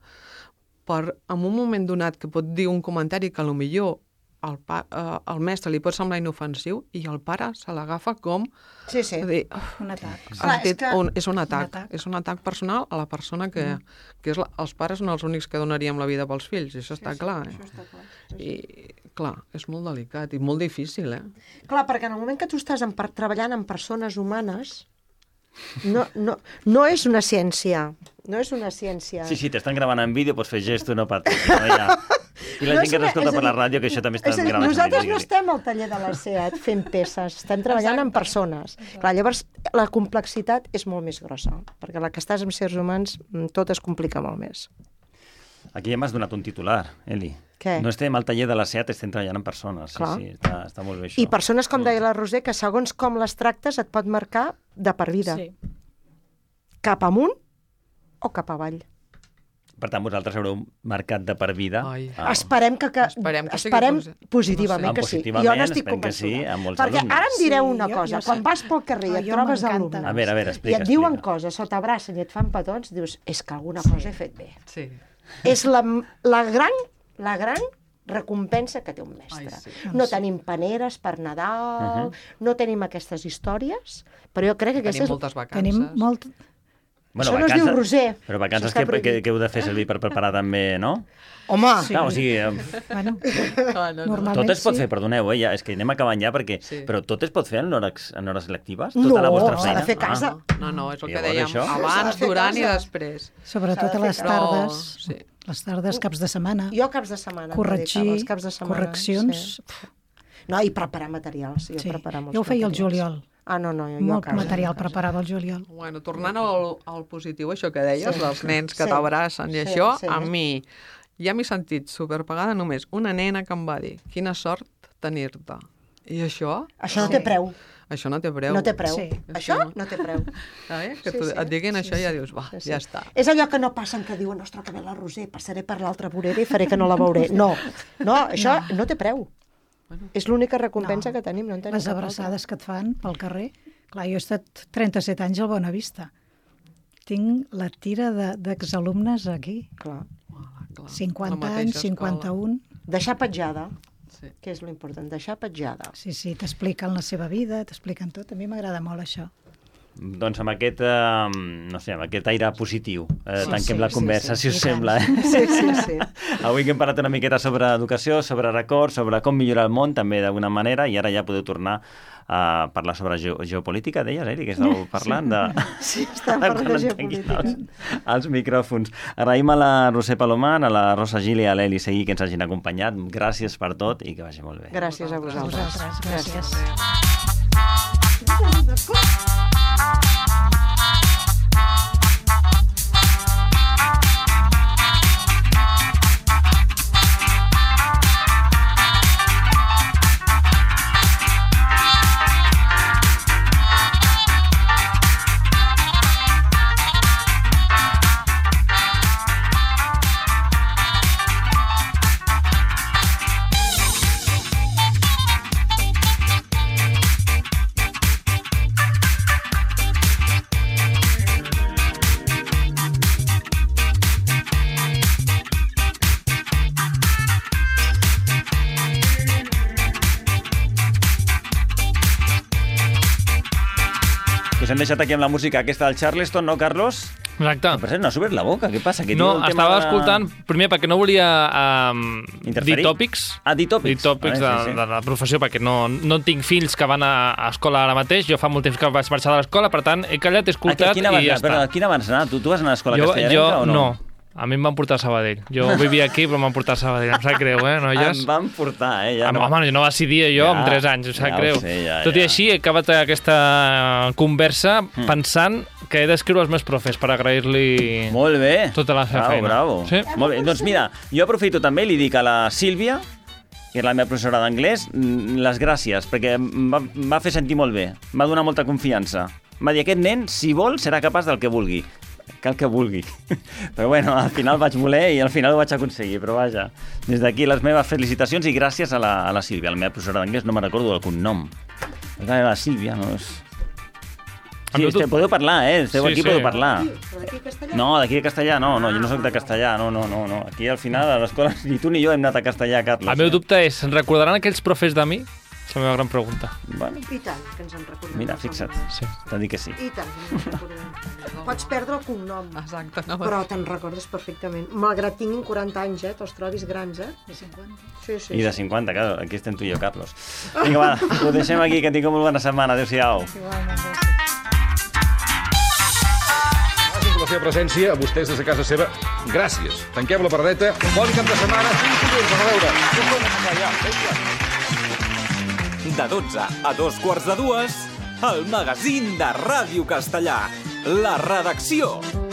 [SPEAKER 19] per, en un moment donat, que pot dir un comentari que potser el, pa, eh, el mestre li pot semblar inofensiu i el pare se l'agafa com...
[SPEAKER 18] Sí, sí.
[SPEAKER 19] Dir,
[SPEAKER 20] un atac.
[SPEAKER 19] Clar, és, que... un, és un atac. Un atac. És un atac personal a la persona que... Mm. que és la, els pares són els únics que donaríem la vida pels fills, i això està sí, clar. Sí, eh? Això està clar. Sí, sí. I, clar, és molt delicat i molt difícil, eh?
[SPEAKER 18] Clar, perquè en el moment que tu estàs en, treballant amb persones humanes, no, no, no és una ciència. No és una ciència.
[SPEAKER 3] Sí, sí, t'estan gravant en vídeo, pots fer gesto, no patis. No, ja. I la no gent que t'escolta per la ràdio, que això també està gravant.
[SPEAKER 18] Nosaltres no estem al taller de la SEAT fent peces, estem treballant amb persones. Clar, llavors, la complexitat és molt més grossa, perquè la que estàs amb sers humans, tot es complica molt més.
[SPEAKER 3] Aquí ja m'has donat un titular, Eli.
[SPEAKER 18] Què?
[SPEAKER 3] No estem al taller de la SEAT, estem treballant amb persones. Sí,
[SPEAKER 18] Clar.
[SPEAKER 3] sí, està, està molt bé això.
[SPEAKER 18] I persones, com deia la Roser, que segons com les tractes et pot marcar de per vida.
[SPEAKER 20] Sí.
[SPEAKER 18] Cap amunt o cap avall.
[SPEAKER 3] Per tant, vosaltres haureu marcat de per vida.
[SPEAKER 18] Ah. Esperem que, que,
[SPEAKER 19] esperem, que
[SPEAKER 18] esperem
[SPEAKER 19] sigui
[SPEAKER 18] positivament
[SPEAKER 3] no sé.
[SPEAKER 18] que sí.
[SPEAKER 3] Positivament,
[SPEAKER 18] Jo n'estic convençuda.
[SPEAKER 3] Que sí, amb molts
[SPEAKER 18] Perquè
[SPEAKER 3] alumnes.
[SPEAKER 18] ara em direu una
[SPEAKER 20] Sí,
[SPEAKER 18] cosa.
[SPEAKER 20] jo- jo
[SPEAKER 18] Quan
[SPEAKER 20] sé.
[SPEAKER 18] vas pel carrer i
[SPEAKER 20] Ah,
[SPEAKER 18] et
[SPEAKER 20] jo
[SPEAKER 18] trobes
[SPEAKER 20] m'encanta.
[SPEAKER 18] alumnes
[SPEAKER 3] A veure, a veure, explica,
[SPEAKER 18] i et diuen
[SPEAKER 3] explica.
[SPEAKER 18] coses, o t'abracen i et fan petons, dius, és que alguna cosa he fet bé.
[SPEAKER 19] Sí.
[SPEAKER 18] És la, la gran, la gran recompensa que té un mestre.
[SPEAKER 19] Ai, sí.
[SPEAKER 18] No tenim paneres per Nadal,
[SPEAKER 3] Uh-huh.
[SPEAKER 18] no tenim aquestes històries, però jo crec que
[SPEAKER 19] Tenim
[SPEAKER 18] aquestes...
[SPEAKER 19] moltes vacances.
[SPEAKER 20] Tenim molt...
[SPEAKER 3] Bueno,
[SPEAKER 18] Això no es diu Roser.
[SPEAKER 3] Però vacances
[SPEAKER 18] Això està
[SPEAKER 3] que, que,
[SPEAKER 18] prohibit.
[SPEAKER 3] que heu de fer servir per preparar també, no?
[SPEAKER 18] Home!
[SPEAKER 3] Sí. Clar, o sigui, eh,
[SPEAKER 20] Bueno,
[SPEAKER 19] Ah, no, no.
[SPEAKER 20] normalment
[SPEAKER 3] tot es pot
[SPEAKER 20] sí.
[SPEAKER 3] fer, perdoneu, eh, ja, és que anem acabant ja, perquè,
[SPEAKER 19] Sí.
[SPEAKER 3] però tot es pot fer en hores, en hores lectives?
[SPEAKER 18] No,
[SPEAKER 3] Tota la vostra
[SPEAKER 18] s'ha
[SPEAKER 3] feina?
[SPEAKER 18] de fer a casa.
[SPEAKER 3] Ah.
[SPEAKER 19] No, no, és el que
[SPEAKER 3] Llavors,
[SPEAKER 19] dèiem,
[SPEAKER 3] això?
[SPEAKER 18] S'ha de
[SPEAKER 19] abans,
[SPEAKER 18] fer
[SPEAKER 19] durant i
[SPEAKER 18] casa.
[SPEAKER 19] després.
[SPEAKER 20] Sobretot
[SPEAKER 18] S'ha
[SPEAKER 20] a
[SPEAKER 18] de
[SPEAKER 20] les
[SPEAKER 18] fer casa.
[SPEAKER 20] tardes,
[SPEAKER 19] Sí.
[SPEAKER 20] les tardes, caps de setmana,
[SPEAKER 18] Jo caps de setmana. em dedicava
[SPEAKER 20] corregir,
[SPEAKER 18] als caps de setmana,
[SPEAKER 20] correccions...
[SPEAKER 18] Sí. No, i preparar materials. Jo,
[SPEAKER 20] Sí.
[SPEAKER 18] preparar molts
[SPEAKER 20] Jo ho feia al
[SPEAKER 18] materials.
[SPEAKER 20] juliol.
[SPEAKER 18] Ah, no, no, jo, jo a
[SPEAKER 20] Molt
[SPEAKER 18] casa.
[SPEAKER 20] material
[SPEAKER 18] a casa.
[SPEAKER 20] preparava al juliol.
[SPEAKER 19] Bueno, tornant al, al positiu, això que deies,
[SPEAKER 18] Sí.
[SPEAKER 19] dels nens que
[SPEAKER 18] Sí.
[SPEAKER 19] t'abracen i
[SPEAKER 18] Sí,
[SPEAKER 19] això,
[SPEAKER 18] sí.
[SPEAKER 19] a mi ja m'he sentit superpagada només una nena que em va dir quina sort tenir-te. I això...
[SPEAKER 18] Això no té preu.
[SPEAKER 19] Això no té preu.
[SPEAKER 18] No té preu.
[SPEAKER 20] Sí.
[SPEAKER 18] Això no té preu.
[SPEAKER 19] Eh? Que
[SPEAKER 18] Sí,
[SPEAKER 19] tu,
[SPEAKER 18] sí.
[SPEAKER 19] et diguin això
[SPEAKER 18] Sí,
[SPEAKER 19] i ja
[SPEAKER 18] sí.
[SPEAKER 19] dius, va,
[SPEAKER 18] Sí, sí.
[SPEAKER 19] ja està.
[SPEAKER 18] És allò que no passen, que diuen, ostres, que ve la Roser, passaré per l'altra vorera i faré que no la veuré. No, no, això no, no té preu. És l'única recompensa
[SPEAKER 20] No.
[SPEAKER 18] que tenim, no en tenim
[SPEAKER 20] Les
[SPEAKER 18] cap altra.
[SPEAKER 20] abraçades que et fan pel carrer. Clar, jo he estat trenta-set anys al Bonavista. Tinc la tira de- d'exalumnes aquí.
[SPEAKER 18] Clar.
[SPEAKER 19] Clar,
[SPEAKER 20] cinquanta
[SPEAKER 19] la mateixa
[SPEAKER 20] anys,
[SPEAKER 19] escola.
[SPEAKER 20] cinquanta-un.
[SPEAKER 18] Deixar petjada,
[SPEAKER 19] Sí.
[SPEAKER 18] que és l'important, deixar petjada.
[SPEAKER 20] Sí, sí, t'expliquen la seva vida, t'expliquen tot. A mi m'agrada molt això.
[SPEAKER 3] Doncs amb aquest, eh, no sé, amb aquest aire positiu, eh,
[SPEAKER 20] Sí,
[SPEAKER 3] tanquem
[SPEAKER 20] sí,
[SPEAKER 3] la
[SPEAKER 20] sí,
[SPEAKER 3] conversa,
[SPEAKER 20] sí,
[SPEAKER 3] si us
[SPEAKER 20] i tant.
[SPEAKER 3] sembla. Eh?
[SPEAKER 18] Sí, sí, sí.
[SPEAKER 3] Avui que hem parlat una miqueta sobre educació, sobre records, sobre com millorar el món, també d'alguna manera, i ara ja podeu tornar a parlar sobre ge geopolítica, deies, Eri, que estàveu parlant de...
[SPEAKER 18] Sí, estàvem parlant de
[SPEAKER 3] Quan entenguin
[SPEAKER 18] geopolítica.
[SPEAKER 3] Els, els micròfons. Agraïm a la Roser Palomar, a la Rosa Gil i a l'Eli Seguí que ens hagin acompanyat. Gràcies per tot i que vagi molt bé.
[SPEAKER 18] Gràcies a vosaltres.
[SPEAKER 20] Vosaltres, gràcies.
[SPEAKER 3] Us hem deixat aquí amb la música aquesta del Charleston, no, Carlos?
[SPEAKER 4] Exacte.
[SPEAKER 3] Per cert, no has obert la boca, què passa? Que
[SPEAKER 4] No,
[SPEAKER 3] diu el tema
[SPEAKER 4] estava
[SPEAKER 3] de-
[SPEAKER 4] escoltant, primer perquè no volia um,
[SPEAKER 3] Interferir?
[SPEAKER 4] dir tòpics,
[SPEAKER 3] Ah, dir tòpics.
[SPEAKER 4] dir tòpics
[SPEAKER 3] Vale,
[SPEAKER 4] de,
[SPEAKER 3] sí, sí.
[SPEAKER 4] de la professió, perquè no, no tinc fills que van a, a escola ara mateix, jo fa molt temps que vaig marxar de l'escola, per tant, he callat, he escoltat
[SPEAKER 3] A quina vas
[SPEAKER 4] i ja
[SPEAKER 3] anar? Però
[SPEAKER 4] està.
[SPEAKER 3] a quina vas anar? Tu, tu vas anar a l'escola
[SPEAKER 4] Jo,
[SPEAKER 3] castellarenca
[SPEAKER 4] jo
[SPEAKER 3] o no?
[SPEAKER 4] no. A mi em van portar a Sabadell. Jo vivia aquí, però em van portar a Sabadell. Em sap greu, eh, noies?
[SPEAKER 3] Em van portar, eh? Ja
[SPEAKER 4] Home,
[SPEAKER 3] no.
[SPEAKER 4] home, jo no decidia jo
[SPEAKER 3] Ja,
[SPEAKER 4] amb tres anys, em sap
[SPEAKER 3] ja ho
[SPEAKER 4] greu.
[SPEAKER 3] sé, ja,
[SPEAKER 4] Tot i
[SPEAKER 3] ja.
[SPEAKER 4] així, he acabat aquesta conversa
[SPEAKER 3] Mm.
[SPEAKER 4] pensant que he d'escriure als meus profes per agrair-li
[SPEAKER 3] Molt bé.
[SPEAKER 4] tota la seva
[SPEAKER 3] Bravo,
[SPEAKER 4] feina.
[SPEAKER 3] bravo.
[SPEAKER 4] Sí?
[SPEAKER 3] Molt bé. Doncs mira, jo aprofito també i li dic a la Sílvia, que és la meva professora d'anglès, mm, les gràcies, perquè em va, em va fer sentir molt bé, em va donar molta confiança. Em va dir, aquest nen, si vol, serà capaç del que vulgui. cal que vulgui. Però bueno, al final vaig voler i al final ho vaig aconseguir, però vaja. Des d'aquí les meves felicitacions i gràcies a la, a la Sílvia, la meva professora d'anglès, no me'n recordo del cognom. La Sílvia, no és... Sí, este, podeu parlar, eh? Esteu sí, aquí, sí. Podeu parlar. No, d'aquí de castellà, no, no, jo no soc de castellà, no, no, no, no. Aquí al final a l'escola ni tu ni jo hem anat a castellà, Carles.
[SPEAKER 4] El meu dubte és, se'n recordaran aquells profes de mi? És la meva gran pregunta.
[SPEAKER 3] Bueno.
[SPEAKER 18] I tant, que ens en recordem.
[SPEAKER 3] Mira, fixa't, sí. T'ha dit que sí.
[SPEAKER 18] I tant, que ens en recordem. Pots perdre el cognom,
[SPEAKER 19] Exacte, no,
[SPEAKER 18] però te'n recordes perfectament. Malgrat tinguin quaranta anys, eh? Te'ls trobis grans, eh?
[SPEAKER 20] De cinquanta.
[SPEAKER 18] Sí, sí.
[SPEAKER 3] I de cinquanta, clar, aquí estem tu i jo, Carlos. Vinga, va, ho deixem aquí, que tingueu molt bona setmana. Adéu-siau.
[SPEAKER 20] Igualment, gràcies.
[SPEAKER 21] La seva presència, a vostès des de casa seva, gràcies. Tanquem la paradeta, bon cap de setmana, fins dilluns, a veure.
[SPEAKER 1] De dotze a dos quarts de dues, el magazín de Ràdio Castellà, La Redacció.